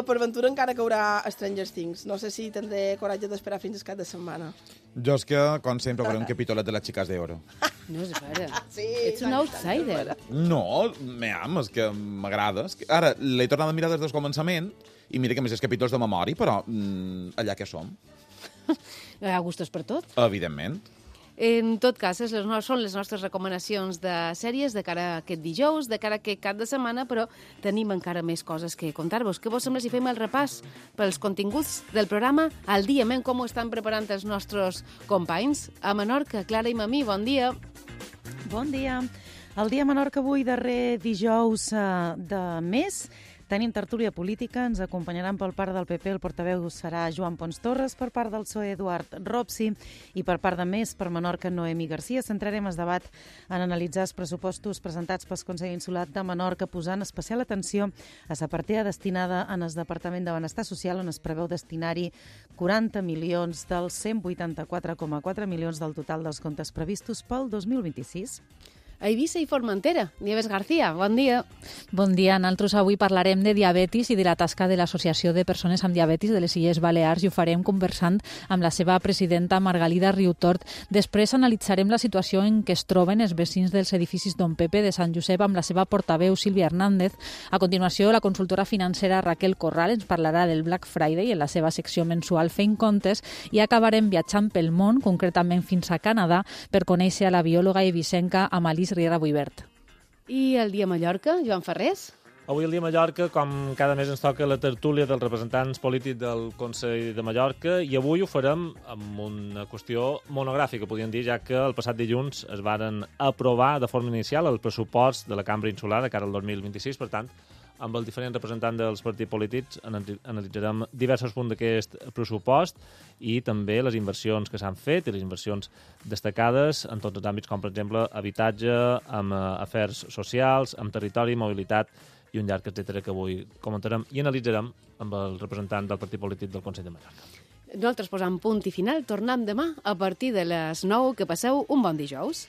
per ventura, encara que haurà Stranger Things. No sé si tindré coratge d'esperar fins al cap de setmana. Jo és que, com sempre, veuré un capítolet de les Chicas d'Oro. No, és vera. Sí, Ets un outsider. No, és que m'agrada. Ara, l'he tornat a mirar des del començament i mira que més és capítols de memòria, però allà que som. Hi ha gustos per tot. Evidentment. En tot cas, són les nostres recomanacions de sèries de cara a aquest dijous, de cara a aquest cap de setmana, però tenim encara més coses que contar-vos. Què vos sembla si fem el repàs pels continguts del programa al dia, com ho estan preparant els nostres companys? A Menorca, Clara i Mamí, bon dia. Bon dia. El dia a Menorca avui, darrer dijous de mes, tenim tertúlia política, ens acompanyaran pel part del PP, el portaveu serà Joan Pons Torres, per part del PSOE Eduard Ropsi i per part de Més per Menorca Noemi Garcia. Centrarem el debat en analitzar els pressupostos presentats pel Consell Insular de Menorca, posant especial atenció a la partida destinada en el Departament de Benestar Social, on es preveu destinar-hi 40 milions dels 184,4 milions del total dels comptes previstos pel 2026. a Eivissa i Formentera. Nieves García, bon dia. Bon dia. Nosaltres avui parlarem de diabetis i de la tasca de l'Associació de Persones amb Diabetis de les Illes Balears i ho farem conversant amb la seva presidenta Margalida Riutort. Després analitzarem la situació en què es troben els vecins dels edificis Don Pepe de Sant Josep amb la seva portaveu Sílvia Hernández. A continuació, la consultora financera Raquel Corral ens parlarà del Black Friday en la seva secció mensual Fent Comptes i acabarem viatjant pel món, concretament fins a Canadà, per conèixer a la biòloga eivissenca Amalís Riera Buibert. I el dia a Mallorca, Joan Ferrés? Avui el dia a Mallorca, com cada mes ens toca la tertúlia dels representants polítics del Consell de Mallorca, i avui ho farem amb una qüestió monogràfica, podríem dir, ja que el passat dilluns es varen aprovar de forma inicial el pressupost de la Cambra Insular de cara al 2026, per tant, amb els diferents representants dels partits polítics analitzarem diversos punts d'aquest pressupost i també les inversions que s'han fet i les inversions destacades en tots els àmbits, com per exemple habitatge, amb afers socials, amb territori, mobilitat i un llarg etcètera que avui comentarem i analitzarem amb el representant del partit polític del Consell de Mallorca. Nosaltres posam punt i final, tornem demà a partir de les 9, que passeu un bon dijous.